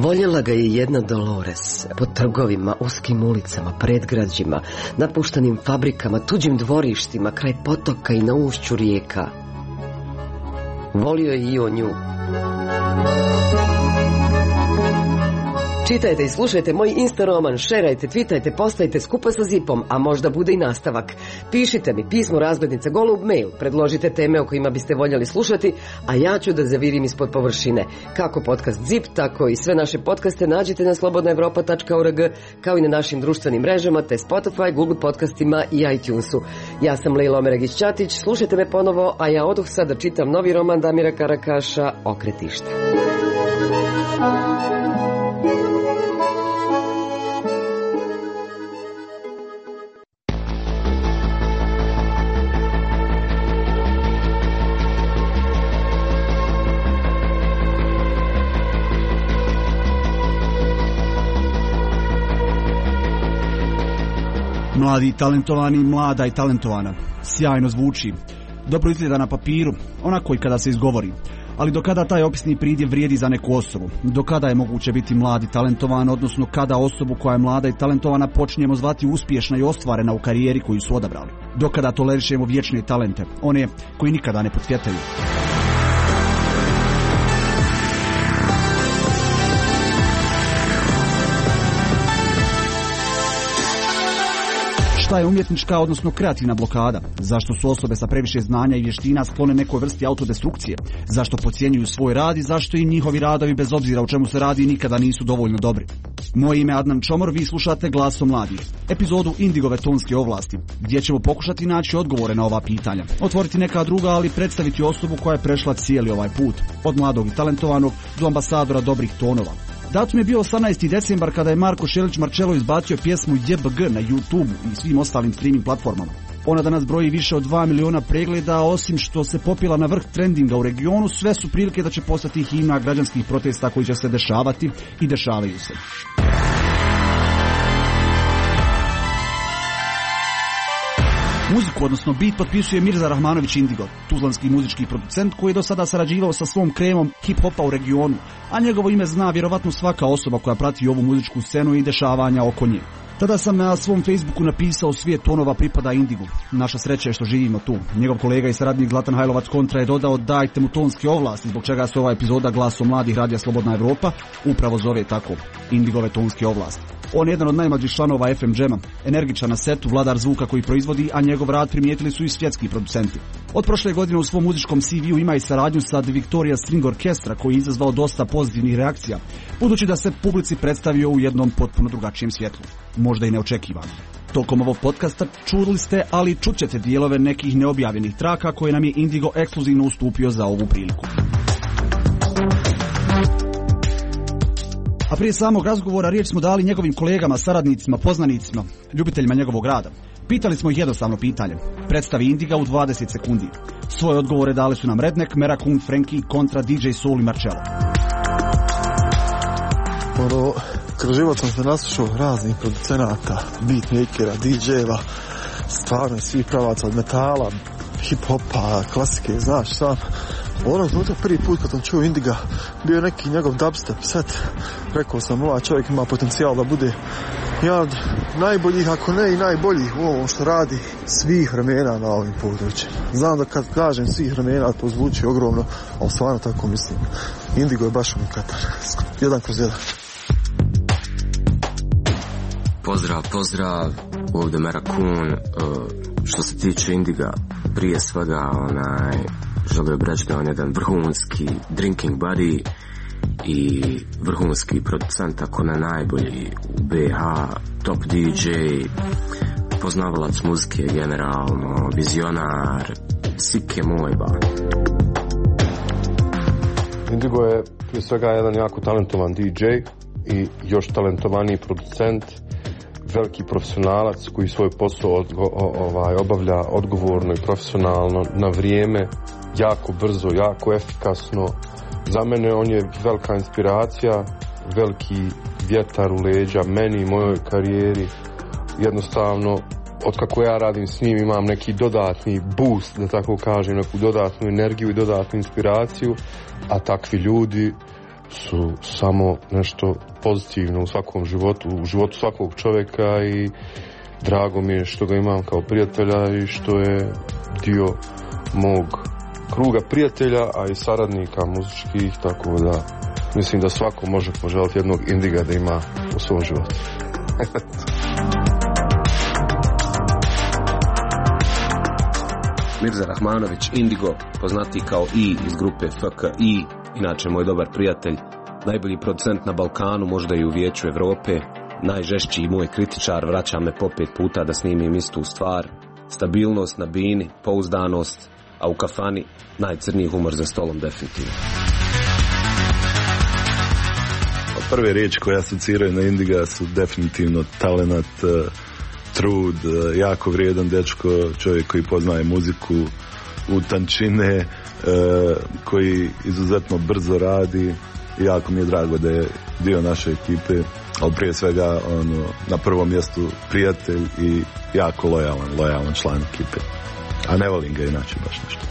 Voljela ga je jedna Dolores, po trgovima, uskim ulicama, predgrađima, napuštanim fabrikama, tuđim dvorištima, kraj potoka i na ušću rijeka. Volio je i on nju. Čitajte i slušajte moj Insta roman, šerajte, twitajte, postajte skupa sa Zipom, a možda bude i nastavak. Pišite mi pismo razglednica golub mail, predložite teme o kojima biste voljeli slušati, a ja ću da zavirim ispod površine. Kako podcast Zip, tako i sve naše podcaste nađete na slobodnaevropa.org, kao i na našim društvenim mrežama, te Spotify, Google podcastima i iTunesu. Ja sam Lejla Omeragić-Ćatić, slušajte me ponovo, a ja odoh sad da čitam novi roman Damira Karakaša, Okretište. Mladi i talentovani, mlada i talentovana. Sjajno zvuči. Dobro izgleda na papiru, onako i kada se izgovori. Ali do kada taj opisni pridjev vrijedi za neku osobu? Do kada je moguće biti mlad i talentovan, odnosno kada osobu koja je mlada i talentovana počinjemo zvati uspješna i ostvarena u karijeri koju su odabrali? Do kada tolerišemo vječne talente, one koji nikada ne procvjetaju? Šta je umjetnička, odnosno kreativna blokada? Zašto su osobe sa previše znanja i vještina sklone nekoj vrsti autodestrukcije? Zašto podcjenjuju svoj rad i zašto i njihovi radovi, bez obzira o čemu se radi, nikada nisu dovoljno dobri? Moje ime je Adnan Čomor, vi slušate Glasom mladih, epizodu Indigove tonske ovlasti, gdje ćemo pokušati naći odgovore na ova pitanja, otvoriti neka druga, ali predstaviti osobu koja je prešla cijeli ovaj put, od mladog i talentovanog do ambasadora dobrih tonova. Datum je bio 18. decembar kada je Marko Šelić Marcello izbacio pjesmu JBG na YouTube i svim ostalim streaming platformama. Ona danas broji više od 2 miliona pregleda, osim što se popila na vrh trendinga u regionu, sve su prilike da će postati himna građanskih protesta koji će se dešavati i dešavaju se. Muziku, odnosno beat, potpisuje Mirza Rahmanović Indigo, tuzlanski muzički producent koji je do sada sarađivao sa svom kremom hip-hopa u regionu, a njegovo ime zna vjerovatno svaka osoba koja prati ovu muzičku scenu i dešavanja oko nje. Tada sam na svom Facebooku napisao svijet tonova pripada Indigu. Naša sreća je što živimo tu. Njegov kolega i saradnik Zlatan Hajlovac Kontra je dodao dajte mu tonske ovlasti, zbog čega se ova epizoda Glasom mladih radija Slobodna Evropa upravo zove tako, Indigove tonske ovlasti. On je jedan od najmlađih članova FM Jama, energičan na setu, vladar zvuka koji proizvodi, a njegov rad primijetili su i svjetski producenti. Od prošle godine u svom muzičkom CV-u ima i saradnju sa The Victoria String Orchestra koji je izazvao dosta pozitivnih reakcija, budući da se publici predstavio u jednom potpuno drugačijem svjetlu. Možda i neočekivano. Tokom ovog podcasta čuli ste, ali čućete dijelove nekih neobjavljenih traka koje nam je Indigo ekskluzivno ustupio za ovu priliku. A prije samog razgovora riječ smo dali njegovim kolegama, saradnicima, poznanicima, ljubiteljima njegovog rada. Pitali smo ih jednostavno pitanje. Predstavi Indiga u 20 sekundi. Svoje odgovore dali su nam Redneck, Merakun, Frankie, Kontra, DJ Soul i Marcello. Kroz život sam se naslušao raznih producenata, beatmakera, DJ-eva, stvarno svih pravaca od metala, hip-hopa, klasike, znaš sam. Onog trenutka prvi put kad sam čuo Indiga bio neki njegov dubstep set. Rekao sam, ovaj čovjek ima potencijal da bude jedan od najboljih, ako ne i najboljih u ovom što radi svih vremena na ovim područjima. Znam da kad kažem svih vremena to zvuči ogromno, ali stvarno tako mislim. Indigo je baš unikatan. 1/1. Pozdrav, ovdje Merakun. Što se tiče Indiga, prije svega želio bih reći da on je jedan vrhunski drinking buddy i vrhunski producent, ako ne najbolji u BH, top DJ, poznavalac muzike generalno, vizionar, sike moj ba. Indigo je prije svega jedan jako talentovan DJ i još talentovaniji producent, veliki profesionalac koji svoj posao obavlja odgovorno i profesionalno, na vrijeme, jako brzo, jako efikasno. Za mene on je velika inspiracija, veliki vjetar u leđa meni i mojoj karijeri. Jednostavno, otkako ja radim s njim imam neki dodatni boost, da tako kažem, neku dodatnu energiju i dodatnu inspiraciju, a takvi ljudi su samo nešto pozitivno u svakom životu, u životu svakog čovjeka i drago mi je što ga imam kao prijatelja i što je dio mog kruga prijatelja, a i saradnika muzičkih, tako da mislim da svako može poželjeti jednog Indiga da ima u svom životu. Mirza Rahmanović, Indigo, poznati kao I iz grupe FKI, inače moj dobar prijatelj, najbolji producent na Balkanu, možda i u Vijeću Evrope, najžešći moj kritičar, vraća me po 5 puta da snimim istu stvar, stabilnost na bini, pouzdanost, a u kafani najcrniji humor za stolom definitivno. Prve riječi koje asociraju na Indiga su definitivno talenat, trud, jako vrijedan dečko, čovjek koji poznaje muziku u tančine, koji izuzetno brzo radi i jako mi je drago da je dio naše ekipe, ali prije svega na prvom mjestu prijatelj i jako lojalan član ekipe, a ne volim ga inače baš nešto.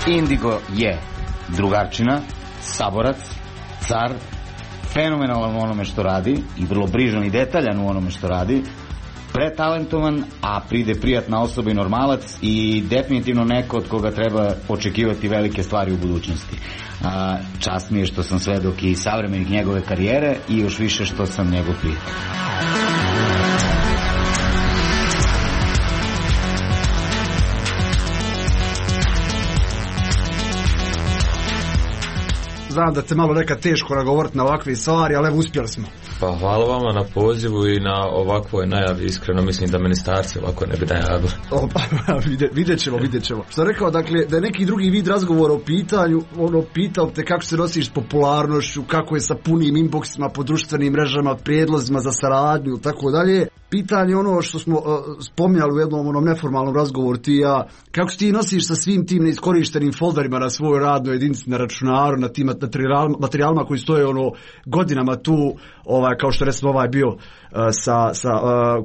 Indigo je drugarčina, saborac, car, fenomenalan u onome što radi i vrlo brižan i detaljan u onome što radi, pretalentovan, a pride prijatna osoba i normalac i definitivno neko od koga treba očekivati velike stvari u budućnosti. Čast mi je što sam svedok i savremenik njegove karijere i još više što sam njegov prijatelj. Znam da te malo nekad teško nagovoriti na ovakve stvari, ali evo uspjeli smo. Pa hvala vama na pozivu i na ovakvoj najavi, iskreno mislim da ministarci ovako ne bi najavili. Vidjet ćemo. Što rekao, dakle, da je neki drugi vid razgovora o pitanju, pitao te kako se nosiš s popularnošću, kako je sa punim inboxima po društvenim mrežama, prijedlozima za saradnju, tako dalje. Pitanje ono što smo spominjali u jednom neformalnom razgovoru ti i ja, kako se ti nosiš sa svim tim neiskorištenim folderima na svojoj radnoj jedinici, na računaru, na tim materijalima koji stoje godinama tu, kao što recimo ovaj bio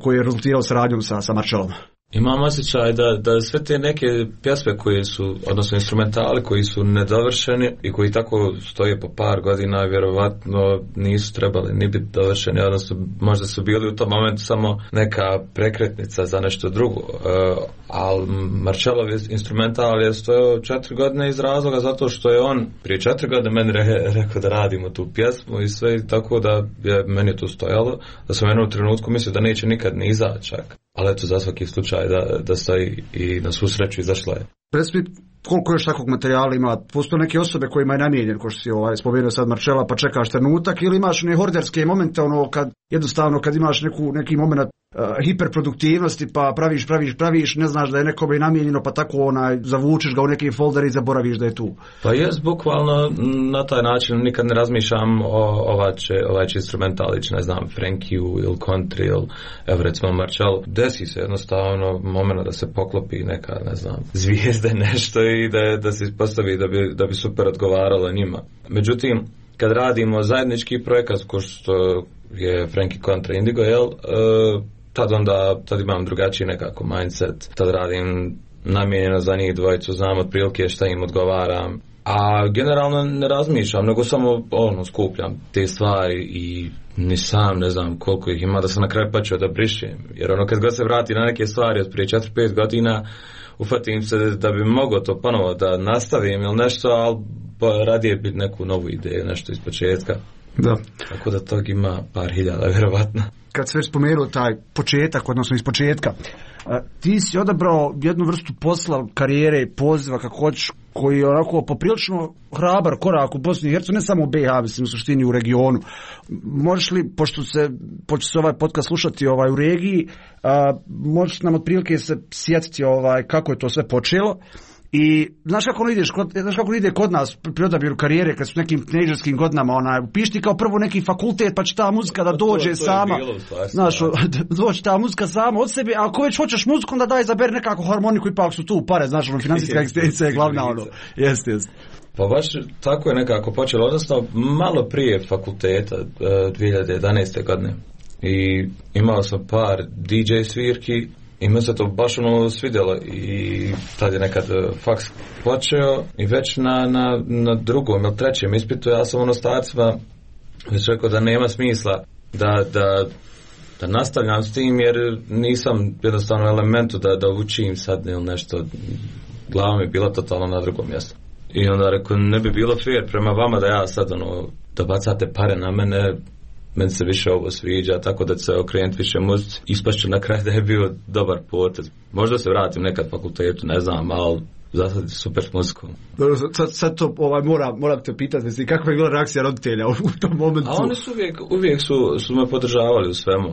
koji je rezultirao saradnjom sa Marcelom. Imam osjećaj da sve te neke pjesme koje su, odnosno instrumentali koji su nedovršeni i koji tako stoje po par godina, vjerovatno nisu trebali ni biti dovršeni, odnosno možda su bili u tom momentu samo neka prekretnica za nešto drugo. Ali Marcelov instrumental je stojao 4 godine iz razloga zato što je on prije 4 godine meni rekao da radimo tu pjesmu i sve, tako da je meni to stojalo, da sam u jednom trenutku mislio da neće nikad ni izaći čak. Ali eto, za svaki slučaj da stoji i na svu sreću izašla je. Predstavit koliko još takvog materijala ima, postoje neke osobe kojima je namijenjen, ko što si spomenuo sad Marcela, pa čekaš trenutak, ili imaš ne horderske momente, kad imaš neki moment hiperproduktivnosti, pa praviš, ne znaš da je nekome namijenjeno, pa tako zavučeš ga u neki folder i zaboraviš da je tu. Pa jes, bukvalno na taj način nikad ne razmišljam ovaj će instrumentalić, ne znam, Frankiju ili country ili evo recimo Marcel. Desi se jednostavno moment da se poklopi neka, ne znam, zvijezde nešto i da se ispostavi da bi super odgovaralo njima. Međutim, kad radimo zajednički projekat, ko što je Frankie kontra Indigo, tad imam drugačiji nekako mindset, tad radim namijenjeno za njih dvojicu, znam otprilike šta im odgovaram, a generalno ne razmišljam, nego samo skupljam te stvari i ni sam ne znam koliko ih ima da sam na kraju počeo da brišem, jer kad god se vrati na neke stvari od prije 4-5 godina, ufatim se da bi mogao to ponovo da nastavim ili nešto, ali radije biti neku novu ideju, nešto iz početka. Da. Tako da tog ima par hiljada, vjerovatno. Kad se već spomenuo taj početak, odnosno iz početka, ti si odabrao jednu vrstu posla, karijere i poziva, kako hoćeš, koji je onako poprilično hrabar korak u Bosni i Hercegovini, ne samo u BiH, mislim u suštini u regionu. Možeš li, pošto se ovaj podcast slušati u regiji, možeš nam otprilike se sjetiti kako je to sve počelo? I znaš kako ide kod nas pri odabiru karijere kad su nekim teenagerskim godinama, upišti kao prvo neki fakultet pa će ta muzika da dođe sama, znaš, doći ta muzika sama od sebe, a ako već hoćeš muziku onda daj izaberi nekako harmoniku, ipak su tu pare, znaš, financijska egzistencija je glavna, jeste. Pa baš tako je nekako počelo, odnosno malo prije fakulteta 2011. godine i imao sam par DJ svirki i me se to baš svidjelo i tad je nekad faks počeo i već na drugom ili trećem ispitu ja sam starcima već rekao da nema smisla da nastavljam s tim jer nisam jednostavno u elementu da učim sad ili nešto, glava mi je bila totalno na drugom mjestu. I onda rekao, ne bi bilo fair prema vama da ja sad da bacate pare na meni se više ovo sviđa, tako da se okrenuti više muzici. Ispašće na kraju da je bio dobar potez. Možda se vratim nekad fakultetu, ne znam, ali za sad super s muzikom. Sad to moram te pitati, kakva je bila reakcija roditelja u tom momentu? A oni su uvijek su me podržavali u svemu,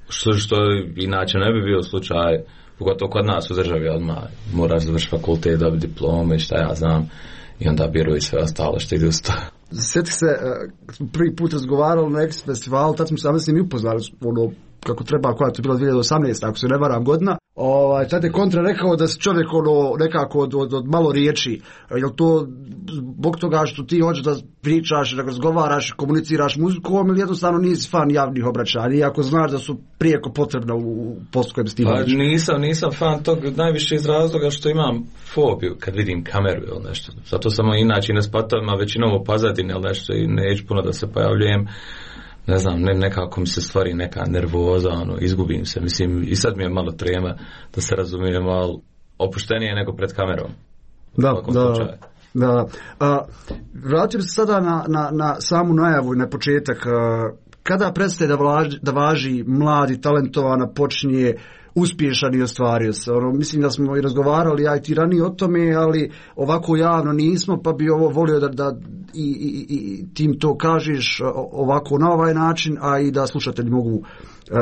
što inače ne bi bio slučaj, pogotovo kod nas u državi odmah moraš završiti fakultet, dobiti diplome i šta ja znam, i onda biru i sve ostalo što ide uz to. Sjeti se, kad smo prvi put razgovarali na X festivalu, tad smo sami s njim upoznali kako treba, koja je to bila 2018, ako se ne varam godina. Tad je Kontra rekao da si čovjek nekako od malo riječi. Je to zbog toga što ti hoćeš da pričaš, da razgovaraš, komuniciraš muzikom ili jednostavno nisi fan javnih obraćanja, iako znaš da su prijeko potrebna u poslu kojem stimaš? Nisam fan tog najviše iz razloga što imam fobiju kad vidim kameru ili nešto. Zato sam inače ne spatam, a većinom u pozadini ili nešto i neću puno da se pojavljujem. Ne znam, nekako mi se stvari neka nervoza, izgubim se, mislim, i sad mi je malo trema, da se razumijem, ali opuštenije nego pred kamerom. Da. Vratim se sada na samu najavu i na početak. Kada prestaje da važi mladi, talentovana, počinje uspješan i ostvario se? Mislim da smo i razgovarali ja i ti ranije o tome, ali ovako javno nismo, pa bi ovo volio da i tim to kažeš ovako na ovaj način, a i da slušatelji mogu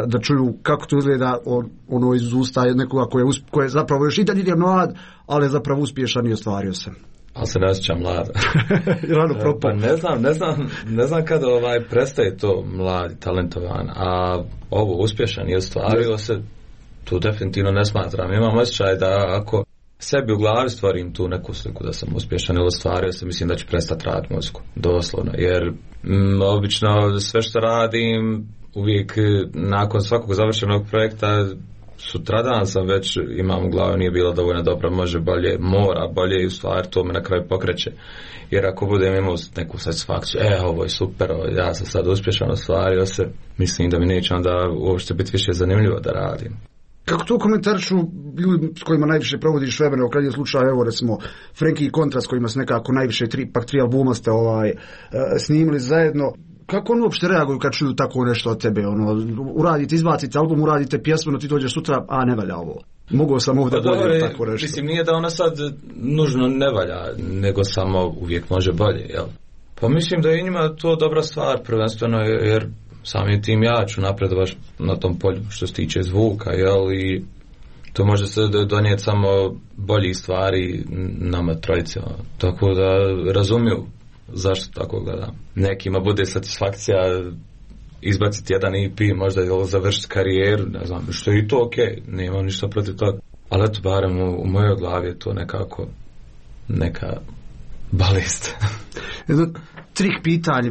da čuju kako to izgleda iz usta nekoga koji je zapravo još i dalje je mlad, ali je zapravo uspješan i ostvario se. Ali se ne osjećam mlada. Rano propao. Pa ne znam kada prestaje to mladi, talentovan, a ovo uspješan i ostvario se, tu definitivno ne smatram. Imam osjećaj da ako sebi u glavi stvorim tu neku sliku da sam uspješan ili ostvario se, mislim da ću prestati raditi muziku, doslovno, jer obično sve što radim uvijek nakon svakog završenog projekta sutradan sam već imam u glavi nije bilo dovoljno dobro, može bolje, mora bolje i u stvari to me na kraju pokreće, jer ako budem imao neku satisfakciju, ovo je super, ja sam sad uspješan, ostvario se, mislim da mi neće onda uopšte biti više zanimljivo da radim. Kako to komentarišu ljudi s kojima najviše provodiš vremena, u krajnjem slučaju, evo recimo Frenkie i Kontra s kojima se nekako najviše tri albuma ste snimili zajedno, kako oni uopšte reaguju kad čuju tako nešto od tebe? Uradite, izbacite album, uradite pjesmu, no ti dođeš sutra, a ne valja ovo. Mogao sam ovdje bolje tako nešto. Mislim, nije da ona sad nužno ne valja, nego samo uvijek može bolje, jel? Pa mislim da je njima to dobra stvar, prvenstveno, jer samim tim ja ću napredovati na tom polju što se tiče zvuka, jel, i to može se donijeti samo bolji stvari nama trojicama, tako da razumiju zašto tako gledam. Nekima bude satisfakcija izbaciti jedan EP, možda je završiti karijeru, ne znam, što je i to okej, nemam ništa protiv toga, ali eto, barem u mojoj glavi je to nekako neka balist. Jedno trik pitanje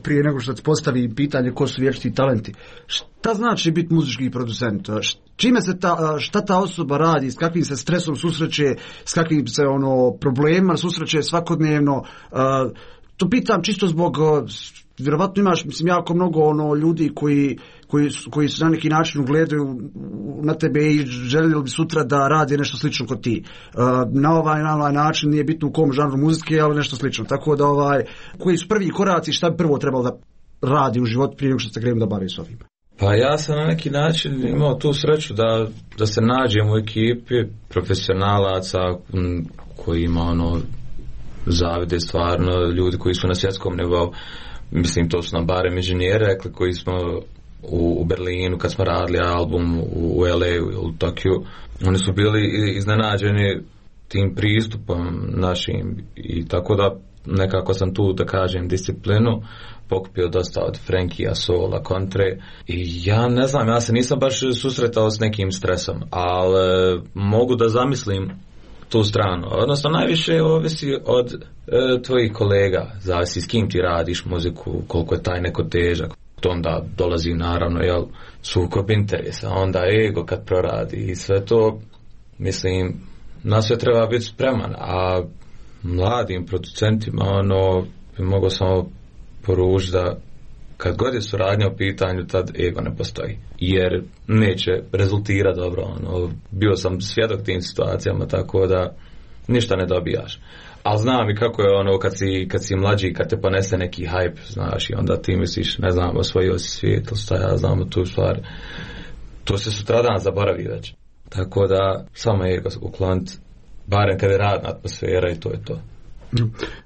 prije nego što se postavi pitanje ko su vječiti talenti. Šta znači biti muzički producent? Čime se šta ta osoba radi, s kakvim se stresom susreće, s kakvim se problema susreće svakodnevno? To pitam čisto zbog, vjerovatno imaš, mislim, jako mnogo ljudi koji se na neki način ugledaju na tebe i željeli bi sutra da radi nešto slično kod ti. Na ovaj način, nije bitno u kom žanru muzike, ali nešto slično. Tako da koji su prvi koraci, šta bi prvo trebalo da radi u životu prije nego što se krenem da bavi s ovim? Pa ja sam na neki način imao tu sreću da se nađem u ekipi profesionalaca koji ima zavide stvarno, ljudi koji su na svjetskom nivou. Mislim, to su nam barem inženjeri rekli koji smo u Berlinu kad smo radili album, u LA, u Tokiju. Oni su bili iznenađeni tim pristupom našim i tako da nekako sam tu, da kažem, disciplinu pokupio dosta od Frenkija, Sola, Kontre i ja ne znam, ja se nisam baš susretao s nekim stresom, ali mogu da zamislim tu stranu. Odnosno, najviše ovisi od tvojih kolega, zavisi s kim ti radiš muziku, koliko je taj neko težak. To onda dolazi naravno sukob interesa, onda ego kad proradi i sve to, mislim, na sve treba biti spreman, a mladim producentima bi mogao samo poručiti da kad god je suradnja u pitanju, tad ego ne postoji, jer neće rezultirati dobro. Bio sam svjedok tim situacijama, tako da ništa ne dobijaš. Ali znam i kako je kad si mlađi, kad te ponese neki hype, znaš, i onda ti misliš, ne znam, osvojio si svijet, šta ja znam tu stvar. To se sutradan zaboravi već. Tako da samo ego ukloniti, barem kad je radna atmosfera, i to je to.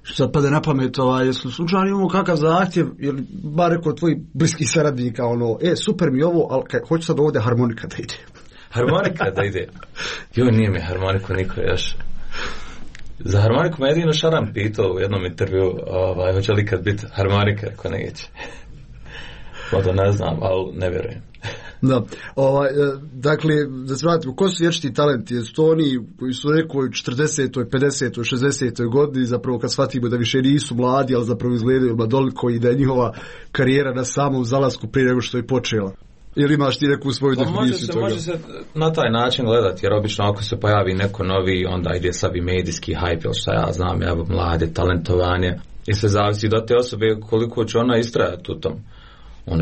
Što sad pade na pamet, jesu slučajno imamo kakav zahtjev, ili bar rekao tvojih bliskih saradnika, super mi ovo, ali hoću sad ovdje harmonika da ide. Harmonika da ide? Joj, nije mi harmoniku niko još. Za harmoniku me jedino Šaran pitao u jednom intervju, hoće li kad biti harmonika, ako neće. To ne znam, ali ne vjerujem. Da, dakle, da se vratimo, ko su vječiti talenti? Jesu to oni koji su rekao u 40., 50., 60. godini, zapravo kad shvatimo da više nisu mladi, ali zapravo izgledaju mladoliko i da je njihova karijera na samom zalasku prije nego što je počela? Ili imaš ti neku svoju definiciju toga? Može se na taj način gledati, jer obično ako se pojavi neko novi, onda ide sav i medijski hype, ili šta ja znam, mlade, talentovanje, i sve zavisi do te osobe koliko će ona istrajati u tom.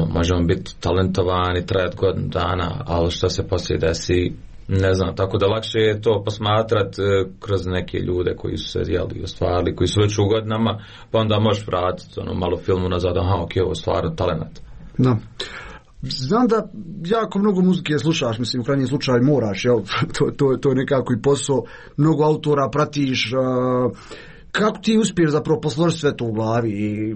Možemo biti talentovani, trajati godinu dana, ali što se poslije desi, ne znam, tako da lakše je to posmatrati kroz neke ljude koji su se ostvarili, koji su već u godinama, pa onda možeš vratiti malo filmu nazad, ovo stvarno talent. Da. Znam da jako mnogo muzike slušaš, mislim, u krajnjem slučaju moraš, jel? To je nekako i posao, mnogo autora pratiš. Kako ti uspiješ zapravo posložiti sve to u glavi i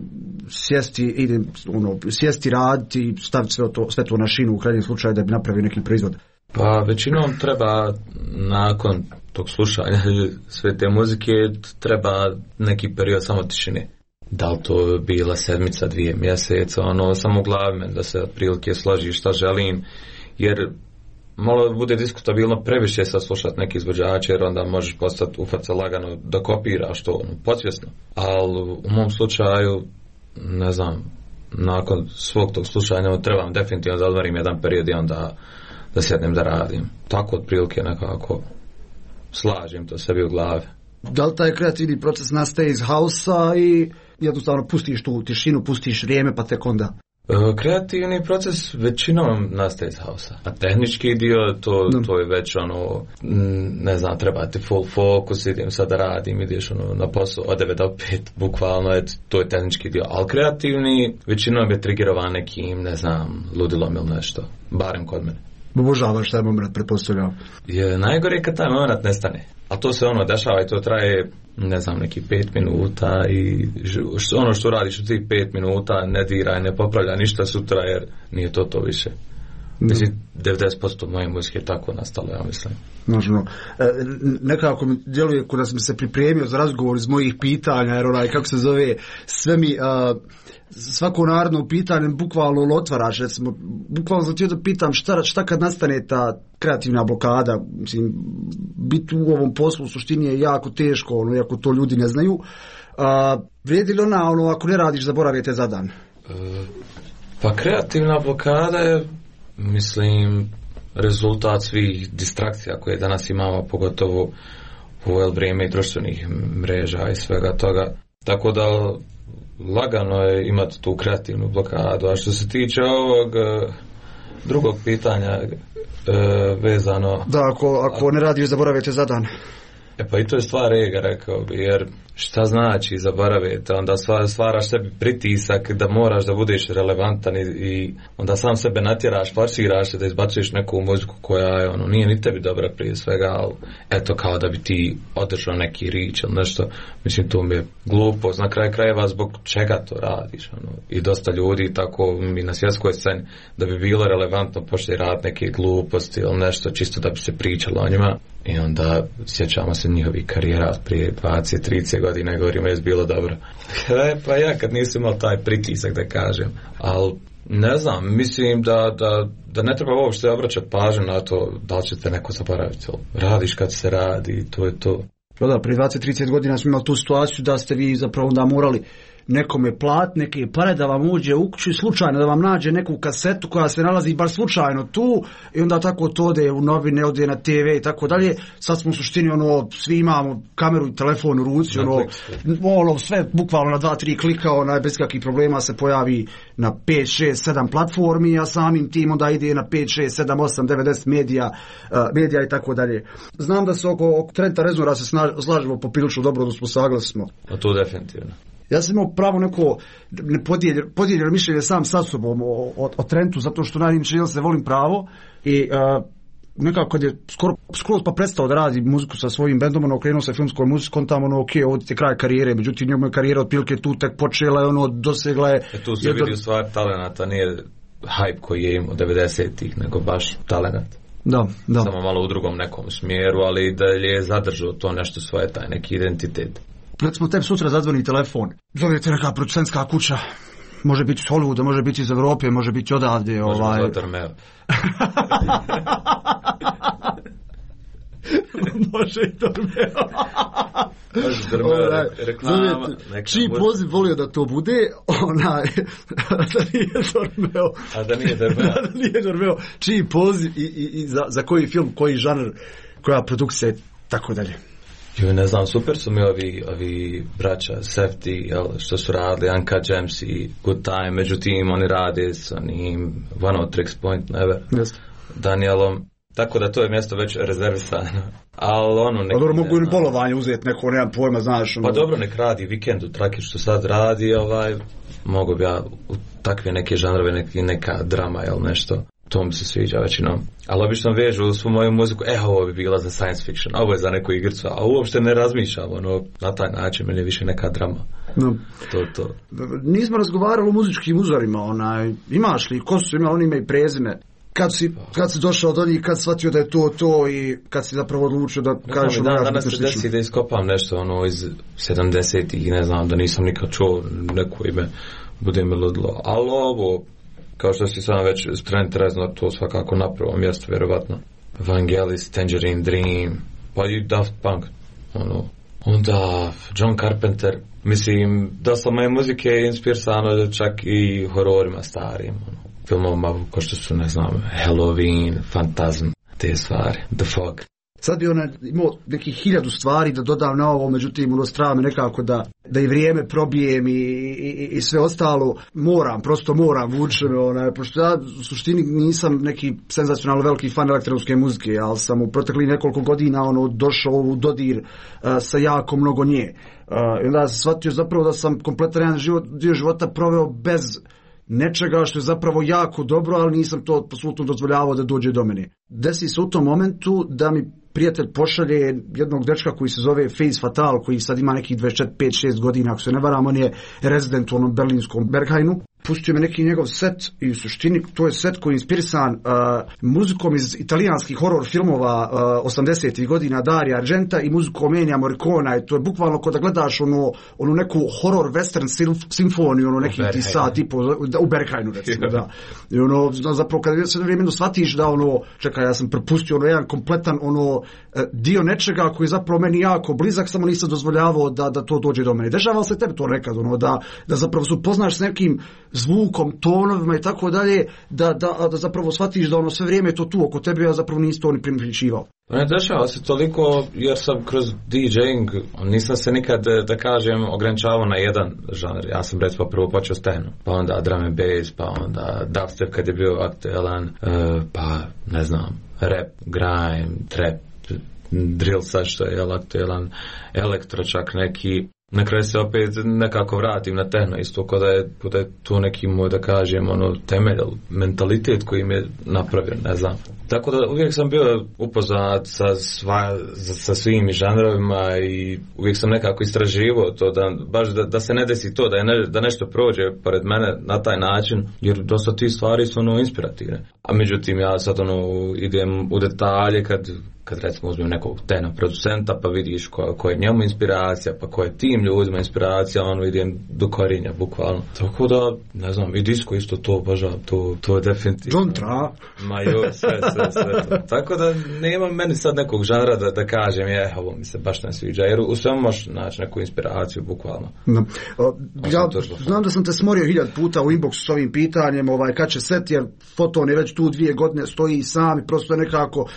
sjesti raditi i staviti sve to na šinu u krajnjem slučaju da bi napravio neki proizvod? Pa većinom treba nakon tog slušanja sve te muzike treba neki period samo tišine. Da li to bila sedmica, 2 mjeseca, samo u glavi da se otprilike složi šta želim, jer malo bude diskutabilno previše sad slušati neki izvođače, jer onda možeš postati ufaca lagano da kopiraš to podsvjesno. Ali u mom slučaju, ne znam, nakon svog tog slušanja trebam definitivno da odvarim jedan period i onda da sjednem da radim. Tako otprilike nekako slažem to sebi u glavi. Da li taj kreativni proces nastaje iz hausa i jednostavno pustiš tu tišinu, pustiš vrijeme pa tek onda? Kreativni proces većinom nastaje iz hausa, a tehnički dio to je već ne znam, treba ti full focus, idem sad da radim, ideš na posao od 9 do 5, bukvalno to je tehnički dio, ali kreativni većinom je triggerovan nekim, ne znam, ludilom ili nešto, barem kod mene. Obožavaš taj moment, pretpostavljam. Najgore je kad taj moment nestane, a to se dešava i to traje, ne znam, neki 5 minuta i što radiš u tih 5 minuta ne diraj, ne popravlja ništa sutra, jer nije to više. Mislim, 90% moje muzike je tako nastalo, ja mislim. Možno. Nekako mi djeluje kada sam se pripremio za razgovor iz mojih pitanja, jer kako se zove, sve mi svako naredno pitanje bukvalno otvaraš, recimo, bukvalno sam htio da pitam šta kad nastane ta kreativna blokada, mislim, biti u ovom poslu u suštini je jako teško, iako to ljudi ne znaju. Vrijedi li ako ne radiš, zaboravite za dan? Pa kreativna blokada je, mislim, rezultat svih distrakcija koje danas imamo, pogotovo u ovo vrijeme i društvenih mreža i svega toga. Tako da lagano je imati tu kreativnu blokadu. A što se tiče ovog drugog pitanja vezano... Da, ako ne radiš, zaboravite za dan. Pa i to je stvar ega, rekao bi, jer šta znači zaboraviti, onda stvaraš sebi pritisak da moraš da budeš relevantan i onda sam sebe natjeraš, forsiraš se da izbacuješ neku muziku koja je, nije ni tebi dobra prije svega, ali eto kao da bi ti održao neki rič ili nešto, mislim to mi je glupost, na kraju krajeva zbog čega to radiš, i dosta ljudi tako mi na svjetskoj sceni da bi bilo relevantno počeli raditi neke gluposti ili nešto čisto da bi se pričalo o njima. I onda sjećamo se njihovih karijera prije 20-30 godina i govorimo je bilo dobro. Pa ja kad nisam imao taj pritisak da kažem, ali ne znam, mislim da ne treba uopšte obraćati pažnju na to da li ćete neko zaboraviti. Radiš kad se radi i to je to. Da, prije 20-30 godina smo imali tu situaciju da ste vi zapravo onda morali nekome plat neke pare da vam uđe u kuću i slučajno da vam nađe neku kasetu koja se nalazi baš slučajno tu i onda tako to ode u novine, ode na TV i tako dalje. Sad smo u suštini svi imamo kameru i telefon u ruci, sve bukvalno na 2-3 klika, bez kakvih problema se pojavi na 5, 6, 7 platformi, a samim tim onda ide na 5, 6, 7, 8, 9, 10 medija i tako dalje. Znam da se oko Trenta Reznora se slažemo poprilično dobro, da smo saglasni. A to definitivno. Ja sam imao pravo neko podijeljeno mišljenje sam sa sobom o Trentu, zato što najviše se volim pravo i nekako kad je skoro pa prestao da radi muziku sa svojim bendom, okrenuo se filmskom muzikom, tamo ovdje je kraj karijere, međutim njemu je karijera otprilike tu tek počela i dosegla je... Tu se vidi u stvari talenata, nije hype koji je imao 90-ih, nego baš talenat. Da. Samo malo u drugom nekom smjeru, ali da je zadržao to nešto svoje, taj neki identitet. Recimo tebi sutra zadzvoni telefon, zovete neka producentska kuća, može biti iz Hollywooda, može biti iz Evrope, može biti odavde. Možemo zvati Armeo. Može i Armeo. Reklama. Čiji poziv volio da to bude, da nije Armeo. A da nije Armeo. Čiji poziv i za koji film, koji žanr, koja produkcija i tako dalje. Ne znam, super su mi ovi braća Safety, što su radili Uncut Gems i Good Time, međutim oni rade s onim One of Tricks Point Never, Danielom, tako da to je mjesto već rezervisano. Ali dobro, mogu i bolovanje uzeti neko, nemam pojma, znaš. Pa dobro, nek radi Vikend u Traki što sad radi, mogu bi ja u takve neke žanrove, neka drama ili nešto. To mi se sviđa većinom. Ali obično vežu svu moju muziku, ovo bi bila za science fiction, ovo je za neku igricu, a uopšte ne razmišljam, na taj način meni je više neka drama. No. To. Nismo razgovarali o muzičkim uzorima, imaš li, ko su imali, oni imaju prezime. Kad si došao do njih, kad shvatio da je to i kad si zapravo odlučio da kažeš... Danas se desi da iskopam nešto iz 70-ih, ne znam, da nisam nikad čuo neko ime, bude mi ludilo, ali ovo... Kao što si sam već Trent Reznor, to svakako na prvom mjestu, vjerovatno. Vangelis, Tangerine Dream, pa i Daft Punk. Onda John Carpenter. Mislim, dosta moje muzike je inspirisano čak i hororima starim. Filmovima kao što su, ne znam, Halloween, Phantasm, te stvari, The Fog. Sad bi imao nekih 1000 stvari da dodam na ovo, međutim strava me nekako da i vrijeme probijem i sve ostalo. Prosto moram, vuče me, pošto ja u suštini nisam neki senzacionalno veliki fan elektronske muzike, ali sam u proteklih nekoliko godina došao u dodir sa jako mnogo nje. I onda sam shvatio zapravo da sam kompletan jedan dio života proveo bez nečega što je zapravo jako dobro, ali nisam to apsolutno dozvoljavao da dođe do mene. Desi se u tom momentu da mi prijatelj pošalje jednog dečka koji se zove Face Fatal, koji sad ima nekih 25-6 godina, ako se ne varam, on je rezident u onom berlinskom Berghainu. Pustio me neki njegov set i u suštini to je set koji je inspirisan muzikom iz italijanskih horror filmova 80-ih godina Dario Argenta i muzikom Ennija Morricona, i to je bukvalno kao da gledaš onu neku horror western simfoniju, neki ti sat tipu u Berghainu recimo, da. I zapravo kada se vremenu shvatiš da čekaj, ja sam propustio jedan kompletan dio nečega koji je zapravo meni jako blizak, samo nisam dozvoljavao da to dođe do mene. Dešava se tebi to nekad, da zapravo se upoznaš s nekim zvukom, tonovima i tako dalje, da zapravo shvatiš da sve vrijeme je to tu oko tebe, a zapravo nisi to ni primjećivao. Ne dešava se toliko jer sam kroz DJing, nisam se nikad, da kažem, ograničavao na jedan žanr. Ja sam recimo prvo počeo s techno, pa onda drum and bass, pa onda dubstep kad je bio aktualan, pa ne znam, rap, grime, trap, drill sad što je aktualan, elektro čak neki. Na kraju se opet nekako vratim na techno, isto kao da je to neki moj, da kažem, temelj, mentalitet koji mi je napravio, ne znam. Tako da uvijek sam bio upoznat sa svim žanrovima i uvijek sam nekako istraživao to, da se ne desi to, da nešto prođe pored mene na taj način, jer dosta ti stvari su inspirativne. A međutim ja sad idem u detalje kad kad recimo uzmem nekog tena producenta pa vidiš ko je njemu inspiracija, pa ko je tim ljudima inspiracija, ono idem do korinja bukvalno. Tako da, ne znam, i disco isto to obožavam, to je definitivno. John Tra. Ma joj, sve to. Tako da nema meni sad nekog žanra da kažem ovo mi se baš ne sviđa, jer u svemu možeš naći neku inspiraciju bukvalno. No. Ja znam da sam te smorio 1000 puta u inboxu s ovim pitanjem, kad će set, jer Foton je već tu 2 godine, stoji sam i prosto nekako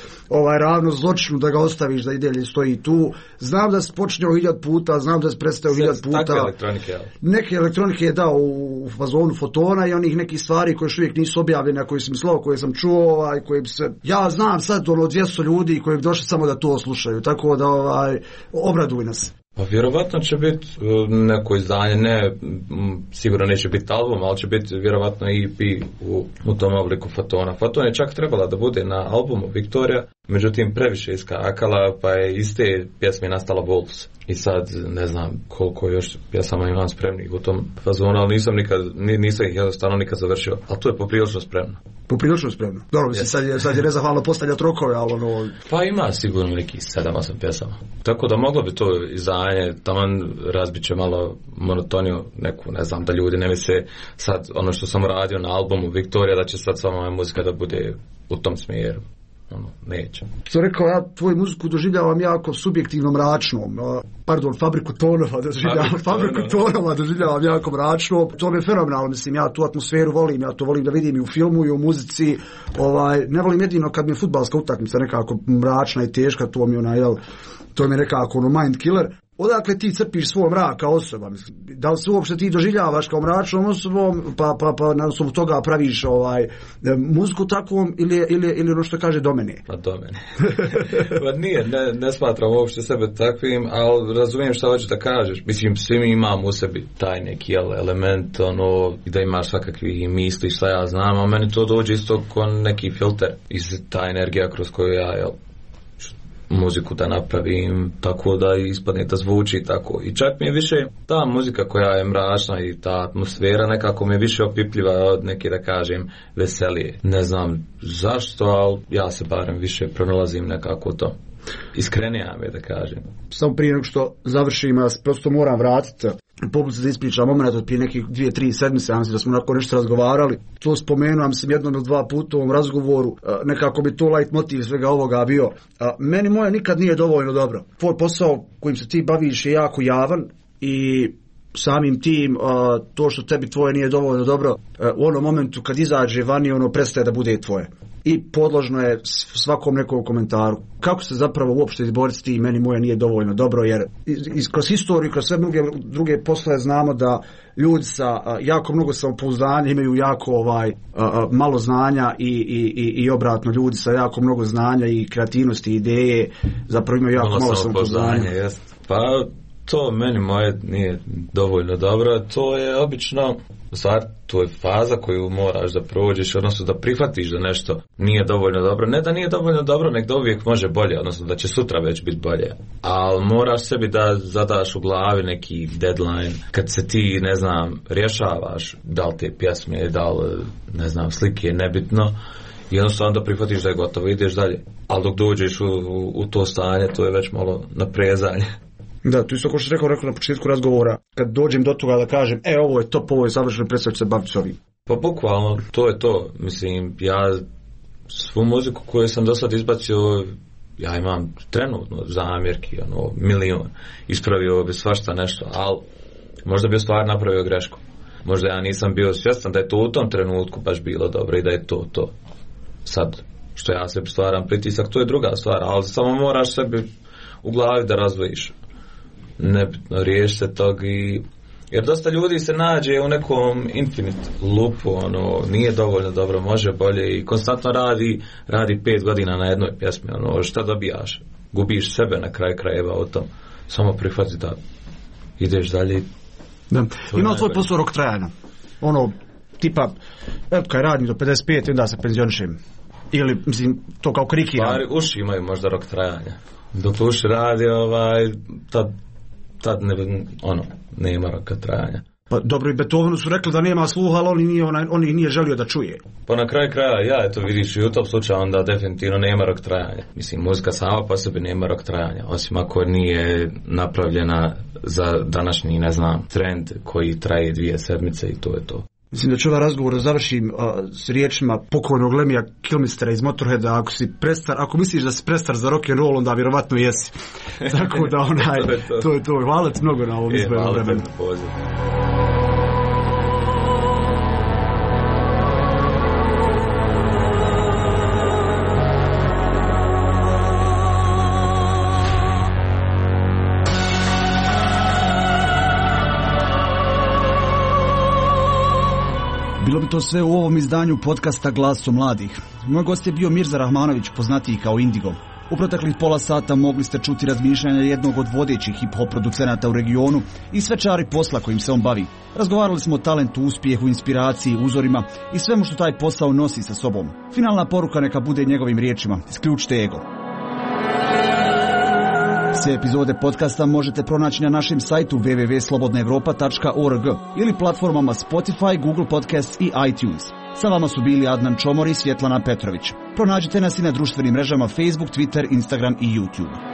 ravno zločinu da ga ostaviš da i dalje stoji tu. Znam da si počinjao 1000 puta, znam da si predstavio 1000 puta. Takve elektronike, ali. Neke elektronike je dao u fazonu Fotona i onih nekih stvari koje još uvijek nisu objavljene, koje sam mislao, koje sam čuo, koje bi se... Ja znam sad 200 ljudi koji bi došli samo da to slušaju, tako da obraduj nas. Pa vjerovatno će biti neko izdanje, ne, sigurno neće biti album, ali će biti vjerovatno EP u tom obliku Fotona. Foton je čak trebala da bude na albumu Victoria, međutim previše iskakala, pa je iz te pjesme nastala Wolves. I sad ne znam koliko još pjesama imam spremnih u tom fazonu, ali nisam ih jednostavno nikad završio, ali to je poprilično spremno. Poprilično spremno. Dobro, sad je nezahvalno postavljati rokove, ali Pa ima sigurno nekih 7-8 pjesama. Tako da moglo bi to izdanje, taman razbit će malo monotoniju neku, ne znam, da ljudi ne misle sad ono što sam radio na albumu Victoria, da će sad sama moja muzika da bude u tom smjeru. Neće. Što rekao, ja tvoju muziku doživljavam jako subjektivno mračnom. Fabriku tonova doživljavam jako mračno. To mi je fenomenalno, mislim, ja tu atmosferu volim, ja to volim da vidim i u filmu i u muzici. Ne volim jedino kad mi je fudbalska utakmica nekako mračna i teška, to mi je nekako mind killer. Odakle ti crpiš svoj mrak kao osoba? Da li se uopšte ti doživljavaš kao mračnom osobom, pa na osnovu toga praviš muziku takvom ili ono što kaže do mene? Pa do mene. Pa nije, ne smatram uopšte sebe takvim, ali razumijem šta hoćeš da kažeš. Mislim, svi mi imamo u sebi taj neki element, da imaš svakakvih misli, šta ja znam, a meni to dođe isto kao neki filter. I ta energija kroz koju ja, muziku da napravim tako da ispadne da zvuči tako. I čak mi je više ta muzika koja je mračna i ta atmosfera nekako mi je više opipljiva od neke, da kažem, veselije. Ne znam zašto, ali ja se barem više pronalazim nekako to. Iskrenija mi je, da kažem. Samo prije nego što završim, ja prosto moram vratiti publici da ispričam moment od prije nekih 2-3 sedmice, ja mislim da smo onako nešto razgovarali. To spomenuo sam jednom ili 2 puta u ovom razgovoru, nekako bi to light motiv svega ovoga bio. Meni moje nikad nije dovoljno dobro. Tvoj posao kojim se ti baviš je jako javan i samim tim to što tebi tvoje nije dovoljno dobro u onom momentu kad izađe vani ono prestaje da bude tvoje. I podložno je svakom nekom komentaru. Kako se zapravo uopšte izboriti s tim meni moje nije dovoljno dobro, jer kroz historiju, kroz sve druge poslove znamo da ljudi sa jako mnogo samopouzdanja imaju jako malo znanja i obratno ljudi sa jako mnogo znanja i kreativnosti i ideje zapravo imaju jako malo samopouzdanja. Pa to meni moje nije dovoljno dobro, to je obično stvar, to je faza koju moraš da prođeš, odnosno da prihvatiš da nešto nije dovoljno dobro. Ne da nije dovoljno dobro, nek da uvijek može bolje, odnosno da će sutra već biti bolje. Ali moraš sebi da zadaš u glavi neki deadline, kad se ti, ne znam, rješavaš da li te pjesme, da li, ne znam, slike, nebitno, i jednostavno da prihvatiš da je gotovo, ideš dalje. Ali dok dođeš u to stanje, to je već malo naprezanje. Da, tu isto ko što rekao na početku razgovora, kad dođem do toga da kažem, ovo je top, ovo je završeno, predstavljaju se baviti s ovim. Pa bukvalno, to je to. Mislim, ja svu muziku koju sam do sad izbacio, ja imam trenutno zamjerki, milion. Ispravio bi svašta nešto, ali možda bi stvar napravio grešku. Možda ja nisam bio svjestan da je to u tom trenutku baš bilo dobro i da je to. Sad, što ja sebi stvaram pritisak, to je druga stvar, ali samo moraš sebi u glavi da razvojiš. Nebitno, riješi se tog jer dosta ljudi se nađe u nekom infinite loopu, nije dovoljno dobro, može bolje i konstantno radi 5 godina na jednoj pjesmi, šta dobijaš? Gubiš sebe na kraj krajeva o tom. Samo prihvati da ideš dalje. Da. Imao tvoj posao rok trajanja? Tipa, kaj radim do 55 i onda se penzionišem. Ili, mislim, to kao krikiram. Stvari, uši imaju možda rok trajanja. Dok uši radi, tad nema roka trajanja. Pa dobro, i Beethovenu su rekli da nema sluha, ali on ih nije želio da čuje. Pa na kraju kraja, eto vidiš i u tom slučaju onda definitivno nema rok trajanja. Mislim, muzika sama po sebi nema rok trajanja, osim ako nije napravljena za današnji, ne znam, trend koji traje 2 sedmice i to je to. Mislim da ću ovaj razgovor završim s riječima pokojnog Lemija Kilmistera iz Motorheada, ako misliš da si prestar za rock and roll, onda vjerovatno jesi. Tako da to je to. Hvala ti mnogo na ovom izboru vremenu. Bilo bi to sve u ovom izdanju podcasta Glasom mladih. Moj gost je bio Mirza Rahmanović, poznatiji kao Indigo. U proteklih pola sata mogli ste čuti razmišljanja jednog od vodećih hip-hop producenata u regionu i sve čari posla kojim se on bavi. Razgovarali smo o talentu, uspjehu, inspiraciji, uzorima i svemu što taj posao nosi sa sobom. Finalna poruka neka bude njegovim riječima: isključite ego. Sve epizode podcasta možete pronaći na našem sajtu www.slobodnaevropa.org ili platformama Spotify, Google Podcasts i iTunes. Sa vama su bili Adnan Čomor i Svjetlana Petrović. Pronađite nas i na društvenim mrežama Facebook, Twitter, Instagram i YouTube.